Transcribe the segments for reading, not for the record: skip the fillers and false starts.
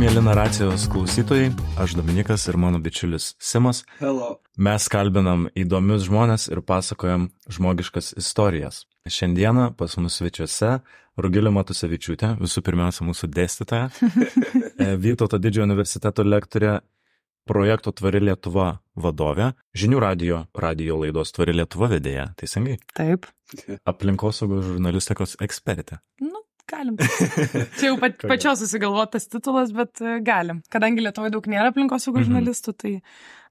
mėly naracijos klausytojai, aš Dominikas ir mano bičiulis Simas. Hello. Mes kalbinam įdomius žmonės ir pasakojam žmogiškas istorijas. Šiandieną pas mus svečiuose Rugilė Matusevičiūtė, visų pirmiausia mūsų dėstytoja, Vytauto Didžiojo universiteto lektorė, projekto Tvari Lietuva vadovė, Žinių radijo laidos Tvari Lietuva vedėja, teisingai? Taip. Aplinkosaugos žurnalistikos ekspertė. Galim. Čia jau pačios susigalvotas titulas, bet galim. Kadangi Lietuvoje daug nėra aplinkosaugos žurnalistų, tai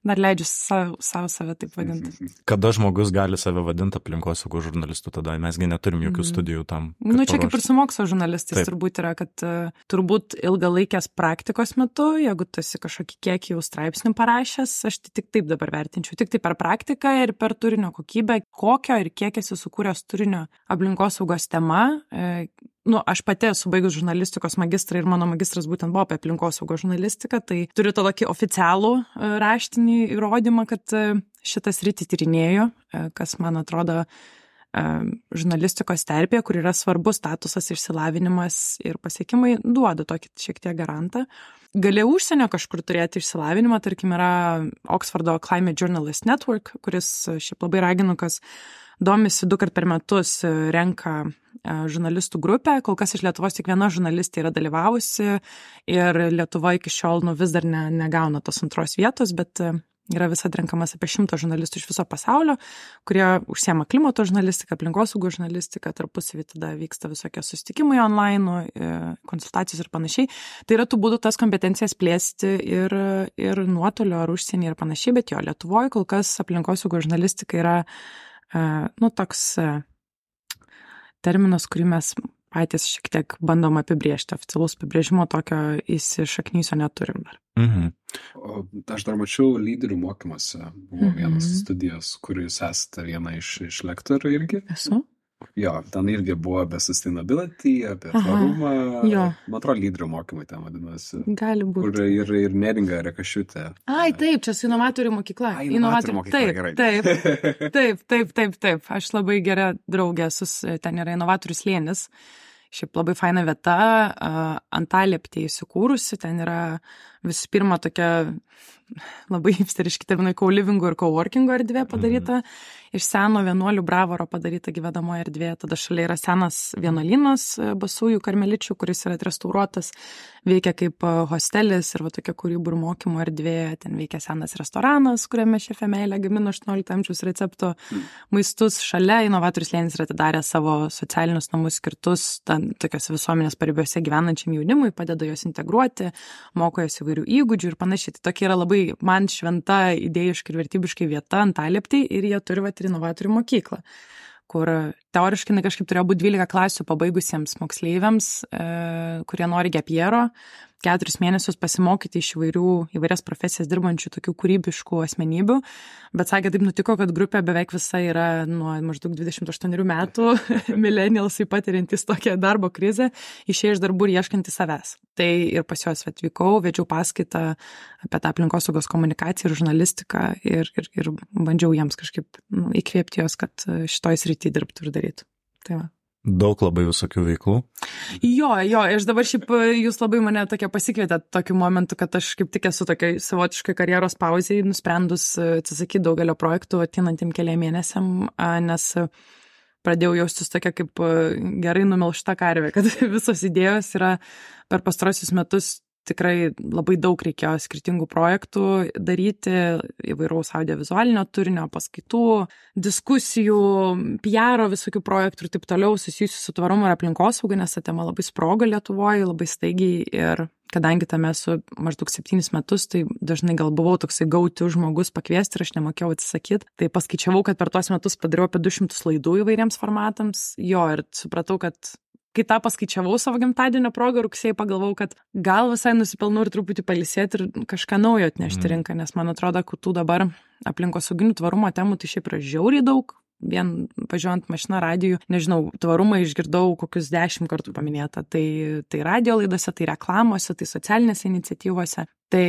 dar leidžiu save taip vadinti. Kada žmogus gali save vadinti aplinkosaugos žurnalistų, tada mesgi neturim jokių studijų tam. Čia kaip ir su mokslo žurnalistais turbūt yra, kad turbūt ilgalaikės praktikos metu, jeigu tu esi kažkokį kiekį jau straipsnių parašęs, aš tik taip dabar vertinčiau, tik tai per praktiką ir per turinio kokybę, kokio ir kiek esi sukūręs turinio aplinkosaugos tema. Aš pati esu baigus žurnalistikos magistrą ir mano magistras būtent buvo apie aplinkosaugos žurnalistiką, tai turiu tą tokį oficialų raštinį įrodymą, kad šitą sritį tyrinėju, kas man atrodo žurnalistikos terpė, kur yra svarbus statusas, išsilavinimas ir pasiekimai, duoda tokį šiek tiek garantą. Gali užsienio kažkur turėti išsilavinimą, tarkim yra Oxfordo Climate Journalist Network, kuris šiaip labai raginu, kas domisi 2 kart per metus renka žurnalistų grupę, kol kas iš Lietuvos tik viena žurnalistė yra dalyvavusi ir Lietuva iki šiol vis dar negauna tos antros vietos, bet yra visad renkamas apie 100 žurnalistų iš viso pasaulio, kurie užsiema klimato žurnalistiką, aplinkosaugos žurnalistiką, tarpusavy tada vyksta visokie susitikimai online, konsultacijos ir panašiai. Tai yra tų būdų tas kompetencijas plėsti ir nuotolio ar užsienį ir panašiai, bet jo, Lietuvoje kol kas aplinkosaugos žurnalistika yra toks terminas, kurį mes patys šiek tiek bandom apibrėžti. Oficialaus apibrėžimo tokio įsišaknysio neturim dar. Aš dar mačiau lyderių mokymuose. Buvo vienas studijos, kur jūs esate viena iš lektorių irgi. Esu. Jo, ten irgi buvo apie sustainability, apie tvarumą. Man atrodo, lyderių mokymai ten vadinasi. Gali būti. Kur ir Neringa Rekašiūtė. Taip, čia su inovatorių mokykla. Inovatorių mokykla, gerai. Taip. Aš labai gera draugė, ten yra inovatorių slėnis. Šiaip labai faina vieta, Antalieptė įsikūrusi, ten yra visų pirma tokia labai hipsteriški terminai co-livingo ir co-workingo erdvė padaryta, iš seno vienuolių bravoro padaryta gyvedamoji erdvė, tada šalia yra senas vienuolynas Basųjų karmeličių, kuris yra restauruotas, veikia kaip hostelis ir tokia kūrybų ir mokymo erdvė, ten veikia senas restoranas, kuriame šefė Meilė gamino 18 amžiaus recepto maistus, šalia inovatorių slėnis yra atidarę savo socialinius namus skirtus tokios visuomenės paribiuose gyvenančiam jaunimui, padeda juos integruoti, moko juos įvairių įgūdžių ir panašiai. Tai tokia yra labai man šventa idėjiškai ir vertybiškai vieta Antalieptėj ir jie turi ir inovatorių mokyklą, kur teoriškai kažkaip turėjo būti 12 klasių pabaigusiems moksleiviams, kurie nori gap yearo, 4 mėnesius pasimokyti iš įvairias profesijas dirbančių tokių kūrybiškų asmenybių, bet sakė, taip nutiko, kad grupė beveik visa yra nuo maždaug 28 metų, millennialsai patiriantys tokią darbo krizę, išėję iš darbų ir ieškantys savęs. Tai ir pas juos atvykau, vedžiau paskaitą apie tą aplinkosaugos komunikaciją ir žurnalistiką ir bandžiau jiems kažkaip įkvėpti jos, kad šitoj srity dirbtų ir darytų. Tai va. Daug labai visokių veiklų. Jo, aš dabar šiaip, jūs labai mane tokia pasikvietėt tokiu momentu, kad aš kaip tik esu tokia savotiškai karjeros pauzėje, nusprendus atsisakyti daugelio projektų ateinantiem keliam mėnesiam, nes pradėjau jaustis tokia kaip gerai numelžta karvė, kad visos idėjos yra per pastarosius metus tikrai labai daug reikėjo skirtingų projektų daryti, įvairaus audiovizualinio turinio, paskaitų, diskusijų, PR visokių projektų ir taip toliau susijusių su tvarumu ir aplinkosauga, nes ta tema labai sprogo Lietuvoje, labai staigiai ir kadangi tame esu maždaug 7 metus, tai dažnai gal buvau toksai gauti žmogus pakviesti ir aš nemokėjau atsisakyti. Tai paskaičiavau, kad per tuos metus padariau apie 200 laidų įvairiems formatams. Ir supratau, kad kai tą paskaičiavau savo gimtadienio progą rugsėjį, pagalvojau, kad gal visai nusipelnau ir truputį pailsėti ir kažką naujo atnešti rinką, nes man atrodo, kad tų dabar aplinkosauginių tvarumo temų tai šiaip yra žiauriai daug. Vien važiuojant mašina radijų, nežinau, tvarumą išgirdau kokius 10 kartų paminėta. Tai radio laidose, tai reklamose, tai socialinėse iniciatyvose. Tai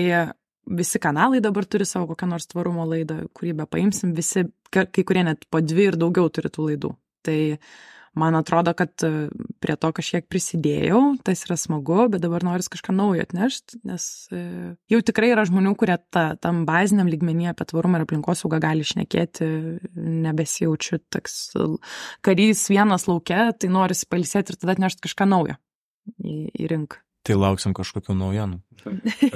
visi kanalai dabar turi savo kokią nors tvarumo laidą, kurį be paimsim, visi, kai kurie net po 2 ir daugiau turi tų laidų. Tai man atrodo, kad prie to kažkiek prisidėjau, tas yra smagu, bet dabar noris kažką naujo atnešti, nes jau tikrai yra žmonių, kurie tam baziniam lygmenyje apie tvarumą ir aplinkosaugą gali šnekėti, nebesijaučiu toks karys vienas lauke, tai norisi pailsėti ir tada atnešti kažką naujo į rinką. Tai lauksim kažkokių naujienų.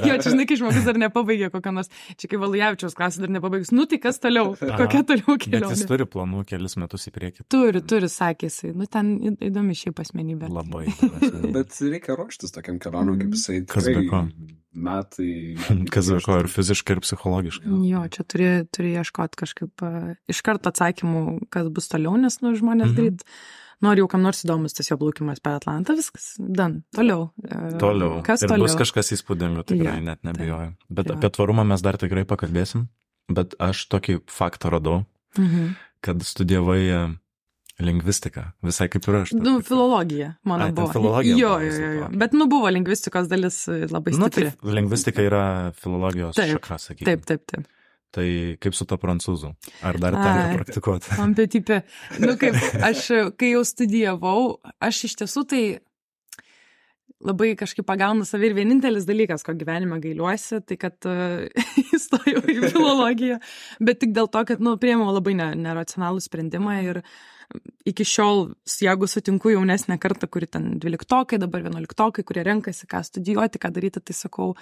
Jo, čia žinai, kai žmogus dar nepabaigė kokią nors, čia kai Valujavičiaus klasė dar nepabaigus, nu tai kas toliau, kokia toliau kelionė. Bet jis turi planų kelis metus į priekį. Turi, sakė jisai, nu ten įdomi šiaip asmenybė. Labai. Bet reikia ruoštis tokiam kelionėm, kaip jisai Kas be ko? metai. Kas be ko, ir fiziškai, ir psichologiškai. Jo, čia turi ieškoti kažkaip iš karto atsakymų, kas bus toliau, nes žmonės greit. Nori jau kam nors įdomus tas jo plaukimas per Atlantą, viskas, toliau. Kas ir toliau? Bus kažkas įspūdingo, tikrai net nebijoju. Bet apie tvarumą mes dar tikrai pakalbėsim. Bet aš tokį faktą radau, kad studijavai lingvistiką, visai kaip ir aš. Filologija, mano buvo. Filologija. Jo. Bet buvo lingvistikos dalis labai stipri. Tai lingvistika yra filologijos šaka, sakykime. Taip. Tai kaip su to prancūzų? Ar dar tenka praktikuoti? Ampetipė. Kaip aš, kai jau studijavau, aš iš tiesų tai labai kažkaip pagaunu savį ir vienintelis dalykas, ko gyvenime gailiuosi, tai kad įstojau į filologiją, bet tik dėl to, kad, priėmiau labai neracionalų sprendimą ir iki šiol, jeigu sutinku jaunesnę kartą, kuri ten 12-okai, dabar 11-okai, kurie renkasi, ką studijuoti, ką daryti, tai sakau,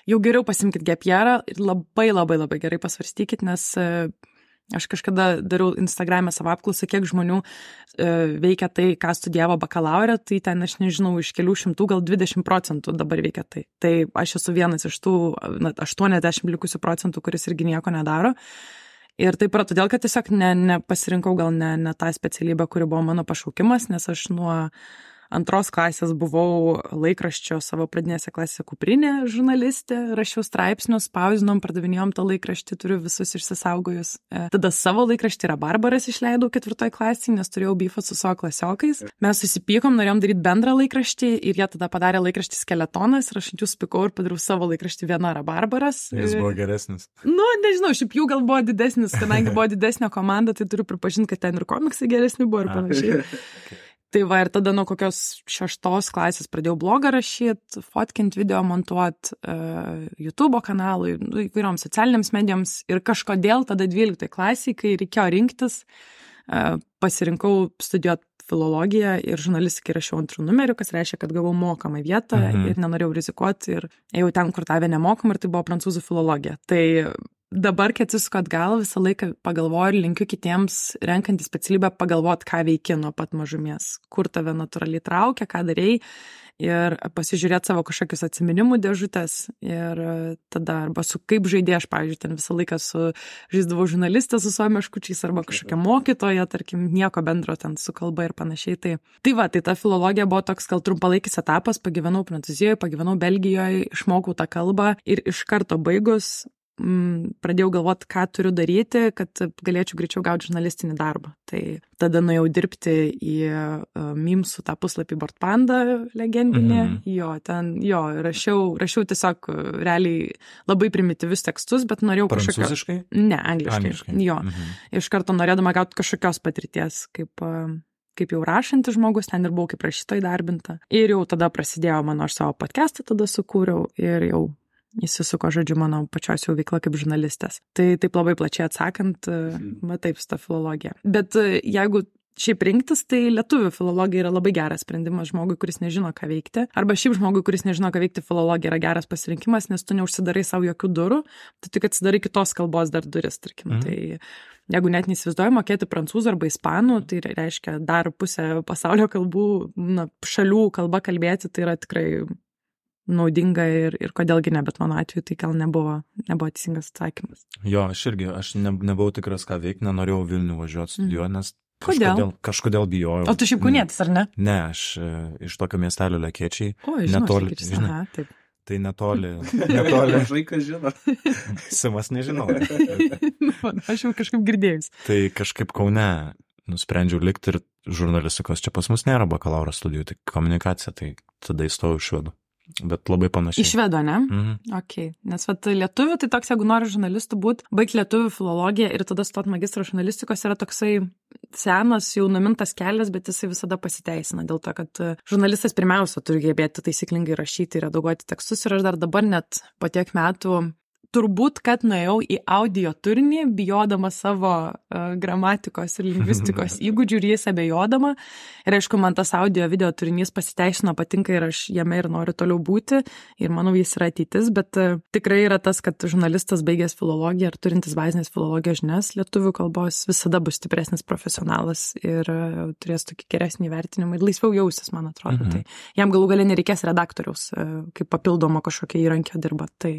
jau geriau pasimkit gap yearą ir labai gerai pasvarstykit, nes aš kažkada dariau Instagram'e savo apklausą, kiek žmonių veikia tai, ką studijavo bakalaurę, tai ten aš nežinau, iš kelių šimtų, gal 20% dabar veikia tai. Tai aš esu vienas iš tų 80 likusių procentų, kuris irgi nieko nedaro. Ir taip yra todėl, kad tiesiog nepasirinkau gal ne tą specialybę, kuri buvo mano pašaukimas, nes aš nuo 2 klasės buvau laikraščio savo pradinėse klasėse kuprinė žurnalistė, rašiau straipsnius, spaudinom, pardavinėjom tą laikraštį, turiu visus išsisaugojus. Tada savo laikraštį Rabarbaras išleidau 4 klasėje, nes turėjau bifą su savo klasiokais. Mes susipykom, norėjom daryti bendrą laikraštį ir jie tada padarė laikraštį Skeletonas ir aš ant jų spykau ir padariau savo laikraštį Viena Rabarbaras. Jis buvo geresnis. Nežinau, šiaip jų gal buvo didesnis, kadangi buvo didesnė komanda, tai turiu pripažinti, kad ten ir komiksai geresni buvo ir panašiai. Tai va, ir tada nuo kokios 6 klasės pradėjau blogą rašyti, fotkint, video montuoti, YouTube kanalui, įvairioms socialinėms medijoms ir kažkodėl tada 12 klasėje, kai reikėjo rinktis, pasirinkau studijuoti filologiją ir žurnalistikai rašiau 2 numerių, kas reiškia, kad gavau mokamą vietą ir nenorėjau rizikuoti ir ėjau ten, kur tavę nemokamą ir tai buvo prancūzų filologija. Tai dabar, kai atsisuku atgal, visą laiką pagalvoju ir linkiu kitiems renkantį specialybę pagalvoti, ką veiki nuo pat mažumės, kur tave natūraliai traukia, ką darei ir pasižiūrėti savo kažkokius atsiminimų dėžutės ir tada arba su kaip žaidė, aš, pavyzdžiui, ten visą laiką žaisdavau žurnalistę su savo meškučiais arba kažkokia mokytoja, tarkim, nieko bendro ten su kalba ir panašiai. Tai ta filologija buvo toks gal trumpalaikis etapas, pagyvenau Prancūzijoje, pagyvenau Belgijoje, išmokau tą kalbą ir iš karto baigus pradėjau galvoti, ką turiu daryti, kad galėčiau greičiau gauti žurnalistinį darbą. Tai tada nuėjau dirbti į Mimsų tą puslapį Boardpanda legendinį. Rašiau tiesiog realiai labai primityvius tekstus, bet norėjau kažkokio... Prancūziškai? Ne, angliškai. Iš karto norėdama gauti kažkokios patirties, kaip jau rašantis žmogus, ten ir buvau kaip rašytoja įdarbinta. Ir jau tada prasidėjo aš savo podcastą tada sukūriau ir jau įsisuko, žodžiu, mano pačios jau veikla kaip žurnalistės. Tai taip labai plačiai atsakant, taip, su ta filologija. Bet jeigu šiaip rinktis, tai lietuvių filologija yra labai geras sprendimas žmogui, kuris nežino, ką veikti. Arba šiaip žmogui, kuris nežino, ką veikti, filologija yra geras pasirinkimas, nes tu neužsidarai savo jokių durų, tu tik atsidarai kitos kalbos dar duris, tarkim. Tai jeigu net neįsivaizduoju mokėti prancūzų arba ispanų, tai reiškia dar pusę pasaulio kalbų, šalių kalba kalbėti, tai yra tikrai naudinga ir kodėlgi ne, bet mano atveju tai gal nebuvo teisingas atsakymas. Jo, aš nebuvau tikras, ką veikti, nenorėjau Vilnių važiuoti studijuoti, nes kažkodėl bijojau. O tu šiaip kaunietis, ar ne? Ne, aš iš tokio miestelio Lekėčiai. O, žinau, taip. Tai netoli. Vaikas žino. Simas nežinau. Aš jau kažkaip girdėjus. Tai kažkaip Kaune nusprendžiau likti ir žurnalistikos. Čia pas mus nėra bakalauro studijų, tai komunikacija, tai tada įstojau iš Švedų. Bet labai panašiai. Iš Švedo, ne? Ok. Nes lietuvių, tai toks, jeigu nori žurnalistų būti, baigti lietuvių filologiją ir tada stot magistro žurnalistikos yra toksai senas, jau numintas kelias, bet jisai visada pasiteisina dėl to, kad žurnalistas pirmiausia turi gebėti taisyklingai rašyti ir redaguoti tekstus ir aš dar dabar net po tiek metų turbūt, kad nuėjau į audio turinį, bijodama savo gramatikos ir lingvistikos įgūdžių ir jais abejodama. Ir aišku, man tas audio video turinys pasiteisino, patinka ir aš jame ir noriu toliau būti. Ir manau, jis yra ateitis, bet tikrai yra tas, kad žurnalistas baigęs filologiją ar turintis bazinės filologijos žinias lietuvių kalbos visada bus stipresnis profesionalas ir turės tokį geresnį vertinimą ir laisviau jausis, man atrodo. Tai jam galų gale nereikės redaktoriaus, kaip papildomo kažkokio įrankio dirba. Tai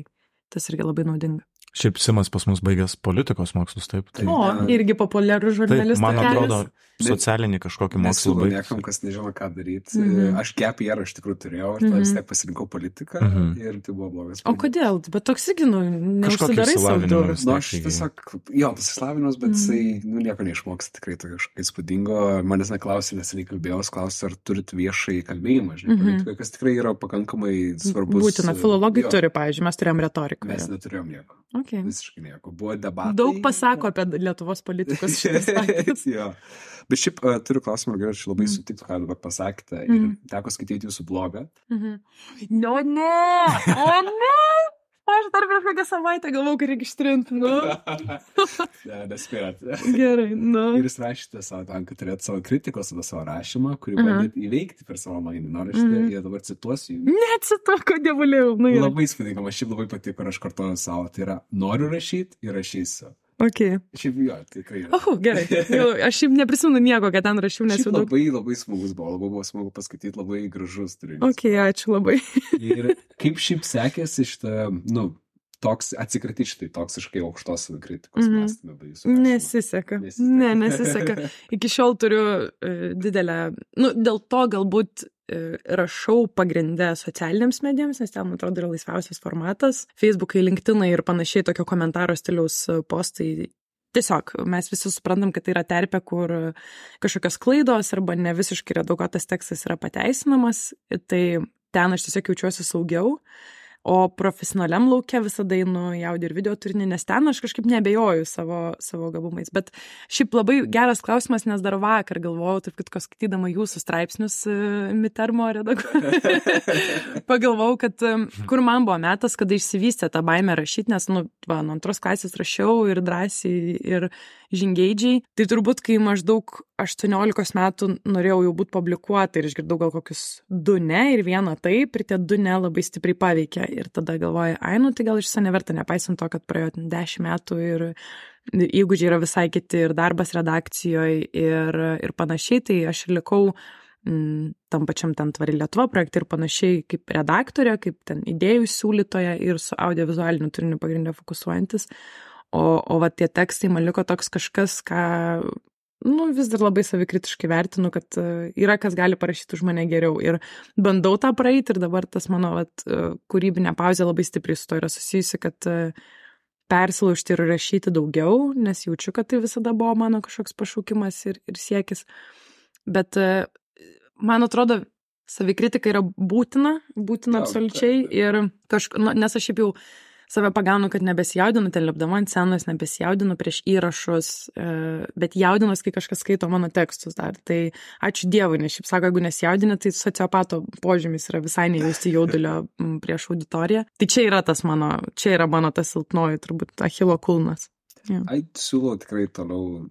tas irgi labai naudinga. Šiaip Simas pas mus baigęs politikos mokslus, taip. O, irgi populiarų žurnalistų. Taip, man atrodo, socialinį kažkokį mokslų baigęs. Niekam, kas nežino, ką daryti. Aš gap year iš tikrųjų turėjau, ir vis tiek pasirinkau politiką ir tai buvo blogas. O kodėl? Bet toks irgi, neužsidarai savo durų. Aš tiesiog, tas išslavinimas, bet jisai, nieko neišmoks, tikrai to kažką įspūdingo. Manęs neklausė, nes nekalbėjau, klausė, ar turit viešai kalbėjimą, politikai, kas tikrai yra pakankamai svarbus. Būtina, filologai turi, pavyzdžiui, mes turėjom retoriką. Mes neturėjom nieko. Okay. Visiškai nieko. Buvo debatai. Daug pasako apie Lietuvos politikus šitas faktas. Bet šiaip turiu klausimą, ar aš labai sutiktų, ką dabar pasakėte. Ir teko skaityti jūsų blogą. O ne! Aš dar prieš kokią savaitę galvau, kad reikia ištrinti. Nespėjot. Gerai, Ir jūs rašėte savo tam, kad turėtų savo kritikos apie savo rašymą, kurį bandėt įveikti per savo magninį raštą. Ir dabar cituosiu jų. Necituoju, dievulėjau. Labai įspūdinga, man šiaip labai patiko, ir aš kartuoju savo. Tai yra, noriu rašyti ir rašysiu. Okay. Šiaip tikrai yra. Gerai. Aš šiaip neprisimenu nieko, kad ten rašiau, nes jau daug. Labai smagus buvo, labai buvo smagu paskaityti, labai gražus turinys. Ačiū labai. Ir kaip šiaip sekėsi šitą, toks atsikratyti šitai toksiškai aukštos kritikos mąstymą. Nesiseka. Nesiseka. Iki šiol turiu didelę, dėl to galbūt rašau pagrindę socialiniams medijoms, nes ten, man atrodo, yra laisviausias formatas. Facebookai, LinkedInai ir panašiai tokio komentaro stiliaus postai. Tiesiog mes visi suprantam, kad tai yra terpė, kur kažkokios klaidos arba ne visiškai redaguotas tekstas yra pateisinamas. Tai ten aš tiesiog jaučiuosi saugiau. O profesionaliam lauke visada einu į audio ir video turinį, nes ten aš kažkaip neabejoju savo gabumais. Bet šiaip labai geras klausimas, nes dar vakar galvojau, taip kad skaitydama jūsų straipsnius Mitermo redaguoju. Pagalvojau, kad kur man buvo metas, kada išsivystė tą baimę rašyti, nes nuo antros klasės rašiau ir drąsiai ir žingeidžiai. Tai turbūt, kai maždaug 18 metų norėjau jau būti publikuota ir išgirdau gal kokius 2 ne ir 1 taip, ir tie 2 ne labai stipriai paveikė. Ir tada galvoju, tai gal iš viso neverta, nepaisant to, kad praėjo 10 metų ir įgūdžiai yra visai kiti ir darbas redakcijoje ir panašiai, tai aš ir likau tam pačiam ten Tvari Lietuva projekte ir panašiai kaip redaktorė, kaip ten idėjų siūlytoja ir su audiovizualiniu turiniu pagrindę fokusuojantis. O va tie tekstai man liko toks kažkas, ką vis dar labai savikritiškai vertinu, kad yra kas gali parašyti už mane geriau ir bandau tą praeiti ir dabar tas mano kūrybinė pauzė labai stipriai su to yra susijusi, kad persilaužti ir rašyti daugiau, nes jaučiu, kad tai visada buvo mano kažkoks pašaukimas ir siekis. Bet man atrodo, savikritika yra būtina absoliučiai ir nes aš šiaip jau save pagaunu, kad nebesijaudinu, ten lipdama ant scenos, nebesijaudinu prieš įrašus, bet jaudinuos, kai kažkas skaito mano tekstus dar. Tai ačiū Dievui, nes šiaip sako, jeigu nesijaudini, tai sociopato požymis yra visai nejausti jaudulio prieš auditoriją. Tai čia yra mano tas silpnoji, turbūt, Achilo kulnas. Siūlau tikrai toliau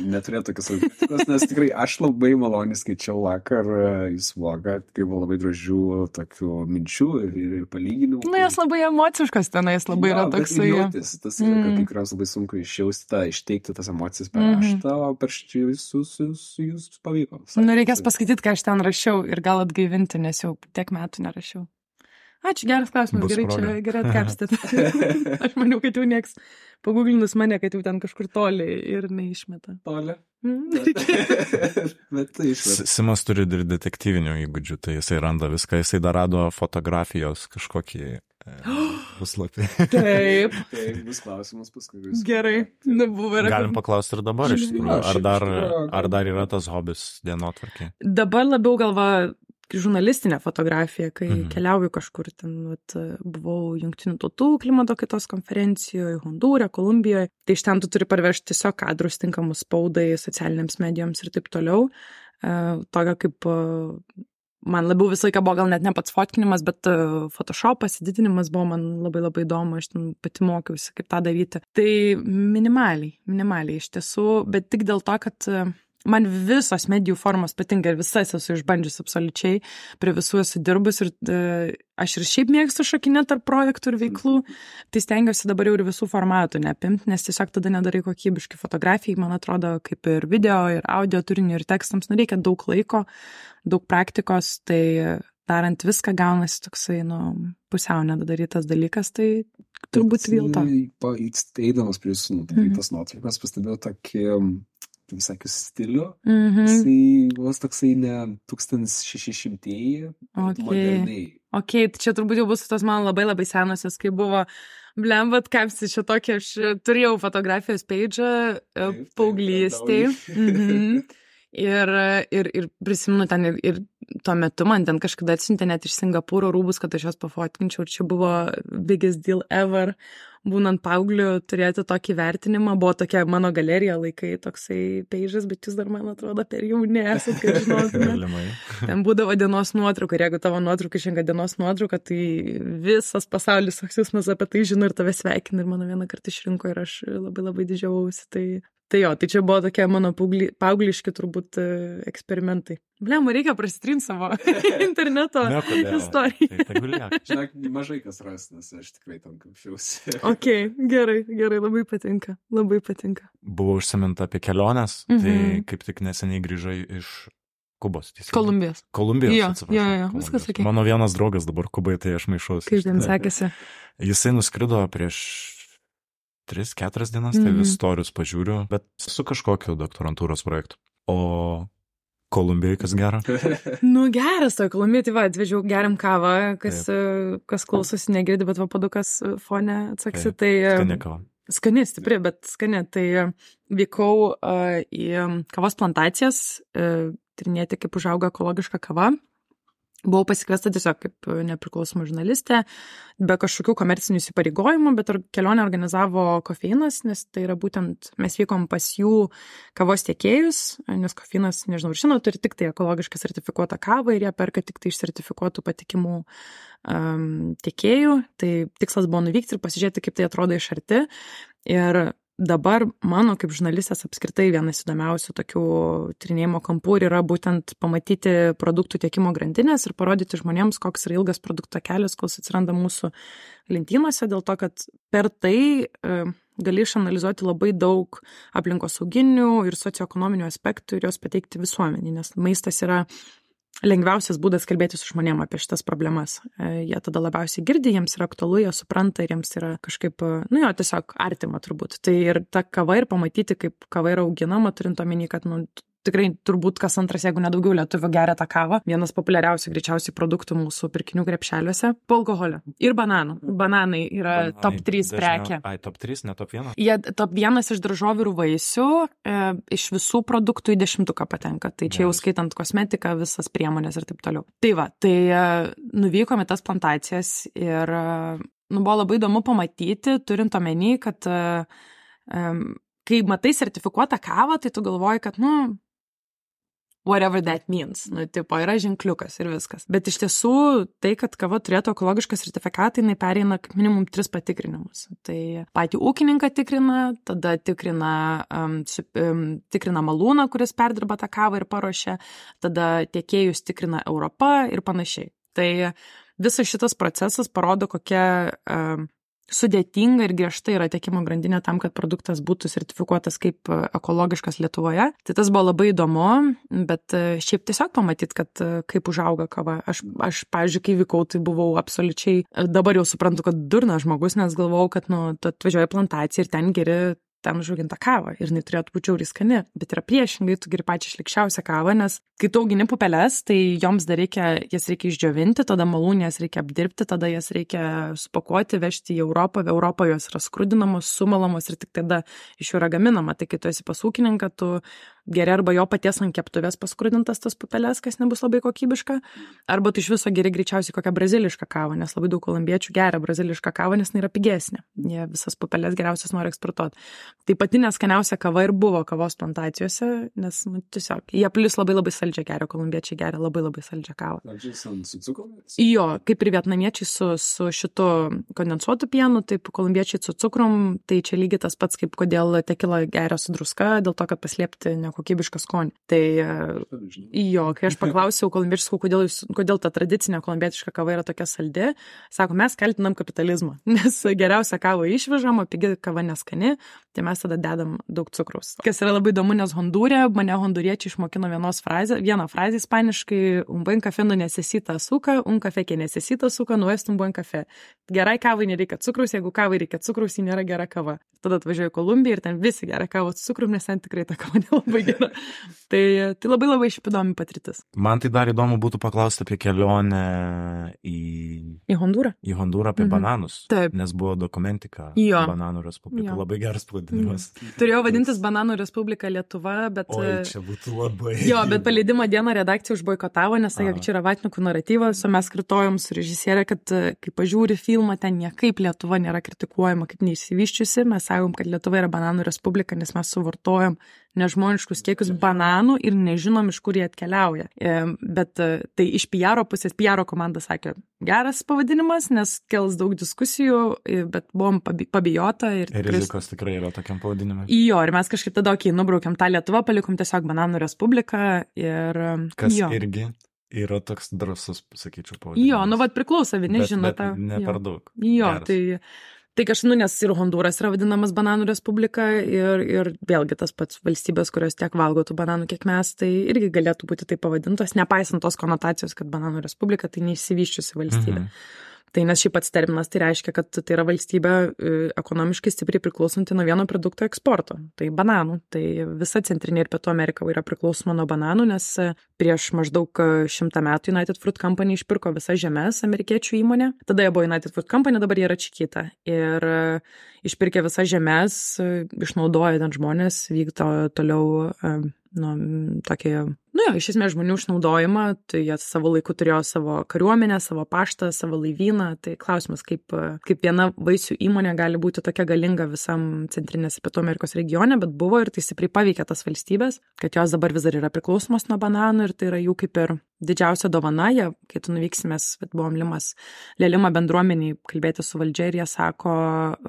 neturėti tokios kritikos, nes tikrai aš labai maloniai skaičiau vakar jūsų blogą, kai buvo labai gražių tokių minčių ir palyginimų. Jos labai emociškos tenais, labai yra toksai. Tas yra, kad kai kurios labai sunku išteikti tas emocijas per raštą, o per jūs pavyko. Reikės paskaityti, ką aš ten rašiau ir gal atgaivinti, nes jau tiek metų nerašiau. Ačiū, geras klausimas, gerai atkapstėt. Aš maniau, kad jau nieks paguglinus mane, kad jau ten kažkur toli ir neišmeta. Toli? Bet tai išmeta. Simas turi ir detektyvinių įgūdžių, tai jisai randa viską, jisai dar rado fotografijos kažkokį puslapį. Taip. Bus klausimas paskui. Gerai. Galim paklausti ir dabar iš tikrųjų, ar dar yra tas hobis dienotvarkė? Dabar labiau galva žurnalistinė fotografija, kai keliauju kažkur ten, buvau Jungtinių tautų klimato kaitos konferencijoje, Hondūre, Kolumbijoje, tai iš ten tu turi parvežti tiesiog kadrus tinkamus spaudai, socialiniams medijoms ir taip toliau. Tokia kaip man labiau visą laiką buvo gal net ne pats fotkinimas, bet Photoshopas, didinimas buvo man labai labai įdomu, aš ten pati mokiausi, kaip tą daryti. Tai minimaliai iš tiesų, bet tik dėl to, kad man visos medijų formos patinka ir visas esu išbandžius absoliučiai, prie visų esu dirbus ir aš ir šiaip mėgstu šokinėti tarp projektų ir veiklų, tai stengiuosi dabar jau ir visų formatų neapimti, nes tiesiog tada nedarai kokybiškai fotografijai, man atrodo, kaip ir video, ir audio turinių, ir tekstams, reikia daug laiko, daug praktikos, tai darant viską gaunasi toksai, pusiau nedadarytas dalykas, tai turbūt vėl to. Eidamas prie jūsų nudarytas nuotraukas, pastebėjau tokį visakius stilių, jisai vos toksai ne 1600-ieji, moderniai. Ok, tai čia turbūt jau bus tos man labai labai senosios, kai buvo blembat, kapsi čia tokia, aš turėjau fotografijos page'ą paauglystėj. Ir prisimenu ten ir tuo metu man ten kažkada atsiuntė net iš Singapūro rūbus, kad aš jos pafotkinčiau, ir čia buvo biggest deal ever, būnant paaugliu turėti tokį vertinimą, buvo tokia mano galerija laikai, toksai page'as, bet jūs dar, man atrodo, per jauni esat, kad žinotume. Ten būdavo dienos nuotrauka, ir jeigu tavo nuotrauka išrenka dienos nuotrauka, tai visas pasaulis aksiusmas apie tai žino ir tave sveikina, ir mano vieną kartą išrinko ir aš labai labai didžiavausi, Tai čia buvo tokie mano paaugliški turbūt eksperimentai. Blema, reikia prasitrinti savo interneto istoriją. Žinok, mažai kas ras, nes aš tikrai tam kapšiausi. Ok, gerai, labai patinka. Buvo užsiminta apie keliones, tai kaip tik neseniai grįžai iš Kubos. Kolumbijos, atsiprašau. Jo, viskas ok. Mano vienas draugas dabar Kubai, tai aš maišausi. Kaip ten sekėsi? Jisai nuskrido prieš 3-4 dienas, tai vis storius pažiūriu, bet su kažkokiu doktorantūros projektu. O Kolumbijoje kas gero? Geras to Kolumbijoje, tai atvežiau geriam kavą, kas klausosi negirdi, bet padukas fone atsaksi. Tai skani kava. Skani, stipri, bet skani. Tai vykau į kavos plantacijas, tyrinėti, kaip užauga ekologiška kava. Buvau pasikviesta tiesiog kaip nepriklausoma žurnalistė, be kažkokių komercinių įsipareigojimų, bet kelionę organizavo Kofeinas, nes tai yra būtent, mes vykom pas jų kavos tiekėjus, nes Kofeinas, nežinau, žinau, turi tik tai ekologiškai sertifikuotą kavą ir jie perka tik tai iš sertifikuotų patikimų tiekėjų. Tai tikslas buvo nuvykti ir pasižiūrėti, kaip tai atrodo iš arti. Ir dabar mano kaip žurnalistės apskritai vienas įdomiausių tokių tyrinėjimo kampų yra būtent pamatyti produktų tiekimo grandinės ir parodyti žmonėms, koks yra ilgas produkto kelias, kol atsiranda mūsų lentynose, dėl to, kad per tai gali išanalizuoti labai daug aplinkosauginių ir socioekonominių aspektų ir juos pateikti visuomenį, nes maistas yra lengviausias būdas kalbėti su žmonėm apie šitas problemas. Jie tada labiausiai girdi, jiems yra aktualu, jie supranta ir jiems yra kažkaip, tiesiog artima turbūt. Tai ir ta kava ir pamatyti, kaip kava yra auginama, turint omeny, kad, tikrai turbūt kas antras, jeigu nedaugiau lietuvių geria tą kavą. Vienas populiariausių greičiausiai produktų mūsų pirkinių krepšeliuose po alkoholio. Ir bananų. Bananai yra top 3 prekė. Top 3, ne top 1? Jie top 1 iš daržovių ir vaisių, iš visų produktų į 10-tuką patenka. Tai čia jau skaitant kosmetiką, visas priemonės ir taip toliau. Tai nuvykome tas plantacijas ir buvo labai įdomu pamatyti, turint omeny, kad kai matai sertifikuotą kavą, tai tu galvoji, kad, whatever that means. Yra ženkliukas ir viskas. Bet iš tiesų, tai, kad kava turėtų ekologišką sertifikatą, jinai pereina kaip minimum 3 patikrinimus. Tai patį ūkininką tikrina, tada tikrina malūną, kuris perdirba tą kavą ir paruošia, tada tiekėjus tikrina Europa ir panašiai. Tai visas šitas procesas parodo, kokia sudėtinga ir griežta yra tiekimo grandinė tam, kad produktas būtų sertifikuotas kaip ekologiškas Lietuvoje. Tai tas buvo labai įdomu, bet šiaip tiesiog pamatyti, kad kaip užauga kava. Aš pavyzdžiui, kai vykau, tai buvau absoliučiai, dabar jau suprantu, kad durnas žmogus, nes galvojau, kad tu atvažiuoji plantaciją ir ten geri ten užaugintą kavą ir jinai turėtų būti žiauriai skani, bet yra priešingai, tu geri pačią šlikščiausią kavą, nes kai tu augini pupeles, tai joms dar jas reikia išdžiovinti, tada malūnės reikia apdirbti, tada jas reikia supakuoti, vežti į Europą, Europoje jos yra skrudinamos, sumalamos ir tik tada iš jų yra gaminama. Tai kai tu esi pas ūkininką, tu geri arba jo paties ant keptuvės paskrudintas tas pupeles, kas nebus labai kokybiška, arba tu iš viso geri greičiausiai kokią brazilišką kavą, nes labai daug kolumbiečių geria brazilišką kavą, nes jinai yra pigesnė. Jie visas pupeles geriausias nori eksportuoti. Tai pati neskaniausia kava ir buvo kavos plantacijose, nes tiesiog jie plus labai labai saldžią geria, kolumbiečiai geria labai labai saldžią kavą. Jo, kaip ir vietnamiečiai su šitu kondensuotu pienu, taip kolumbiečiai su cukrum, tai čia lygiai tas pats, kaip kodėl tekila geria su druska, dėl to, kad paslėpti kokybišką skonį. Tai jo, kai aš paklausiau kolumbiečių, kodėl ta tradicinė kolumbietiška kava yra tokia saldi, sako, mes kaltinam kapitalizmą, nes geriausia kava išvežam, o pigi kava neskani, tai mes tada dedam daug cukraus. Kas yra labai įdomu, nes Hondūre mane honduriečiai išmokino vieną frazę ispaniškai, un buen café no necesita azúcar, un café que necesita azúcar no es un buen café. Gerai kavai nereikia cukraus, jeigu kavai reikia cukraus, ji nėra gera kava. Tada atvažiuoju į Kolumbiją ir ten visi geria kavą su cukrum, nes ten tikrai ta kava nelabai gera. Tai labai labai šiaip įdomi patirtis. Man tai dar įdomu būtų paklausti apie kelionę į Hondūrą. Į Hondūrą apie bananus. Taip. Nes buvo dokumentika Bananų Respublika. Jo. Labai geras pavadinimas. Turėjo vadintis Bananų Respublika Lietuva, bet... Oi, čia būtų labai... Jo, bet paleidimo dieną redakcija užboikotavo, nes sakė, kad čia yra vatnikų naratyvas, o mes kartojom su režisierė, kad kai pažiūri filmą, ten niekaip Lietuva nėra kritikuojama kaip neišsivyščiusi. Mes sakom, kad Lietuva yra Bananų Respublika, nes mes suvartojam nežmoniškus kiekius bananų ir nežinom, iš kur jie atkeliauja. Bet tai iš PR pusės, PR komanda sakė, geras pavadinimas, nes kels daug diskusijų, bet buvom pabijota. Ir rizikos tikrai yra tokiam pavadinimui. Jo, ir mes kažkaip tada, nubraukiam tą Lietuvą, palikom tiesiog Bananų Respubliką ir... Kas irgi yra toks drąsus, sakyčiau, pavadinimas. Jo, priklauso, vieni žino tą. Ne per daug. Jo, Geras. Tai kažkaip, nes ir Hondūras yra vadinamas Bananų Respublika ir vėlgi tas pats valstybės, kurios tiek valgo tų bananų, kiek mes, tai irgi galėtų būti taip pavadintos, nepaisant tos konotacijos, kad Bananų Respublika tai neišsivyščiusi valstybė. Tai nes šiaip pats terminas tai reiškia, kad tai yra valstybė ekonomiškai stipriai priklausanti nuo vieno produkto eksporto. Tai bananų. Tai visa Centrinė ir Pietų Amerika yra priklausoma nuo bananų, nes prieš maždaug 100 metų United Fruit Company išpirko visas žemės amerikiečių įmonė. Tada jie buvo United Fruit Company, dabar jie yra Chiquita. Ir išpirkė visas žemės, išnaudoja ten žmonės, vykdo toliau iš esmės žmonių išnaudojimą, tai jie savo laiku turėjo savo kariuomenę, savo paštą, savo laivyną, tai klausimas, kaip viena vaisių įmonė gali būti tokia galinga visam Centrinės ir Pietų Amerikos regione, bet buvo ir tai stipriai paveikė tas valstybės, kad jos dabar vis dar yra priklausomos nuo bananų ir tai yra jų kaip ir didžiausia dovana. Kai tu nuvyksimės, buvom Lelima bendruomeniai kalbėti su valdžia ir jie sako,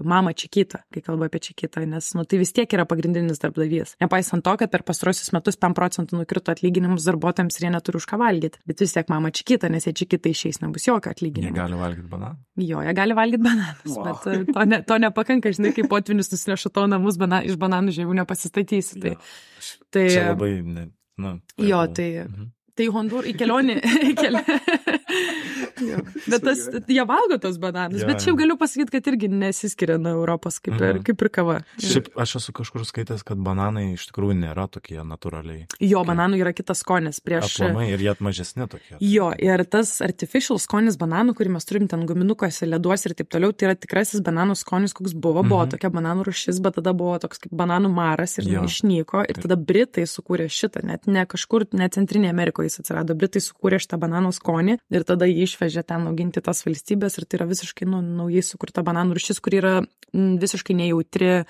mama Chiquita, kai kalba apie Chiquitą, nes tai vis tiek yra pagrindinis darbdavys. Nepaisant to, kad per pastarosius metus 5% nukrito atlyginimus darbuotojams ir jie neturi už ką valgyti. Bet vis tiek mama Chiquita, nes jie Chiquita išeis, nebus jokio atlyginimo. Jie gali valgyti bananus? Jo, jie gali valgyti bananus, bet to nepakanka, žinai, kaip potvinis nusineša to namus, iš bananų žievių nepasistatysi. Tai čia labai, jo, tai Hondūrą į kelionį. Bet jie valgo tos bananus, bet šiaip galiu pasakyti, kad irgi nesiskiria nuo Europos kaip ir kava. Šiaip aš esu kažkur skaitęs, kad bananai iš tikrųjų nėra tokie natūraliai. Jo, bananų yra kitas skonis Aplamai ir jie mažesni tokie. Jo, ir tas artificial skonis bananų, kurį mes turim ten guminukuose, leduose ir taip toliau, tai yra tikrasis bananų skonis, koks buvo tokia bananų rūšis, bet tada buvo toks kaip bananų maras ir išnyko ir tada Britai sukūrė šitą, net ne kažkur, ne Centrinėje Amerikoje jis atsirado, Britai sukūrė šitą bananų skonį ir tada jį išvežė ten auginti tas valstybės ir tai yra visiškai naujai sukurta bananų rūšis, kuri yra visiškai nejautri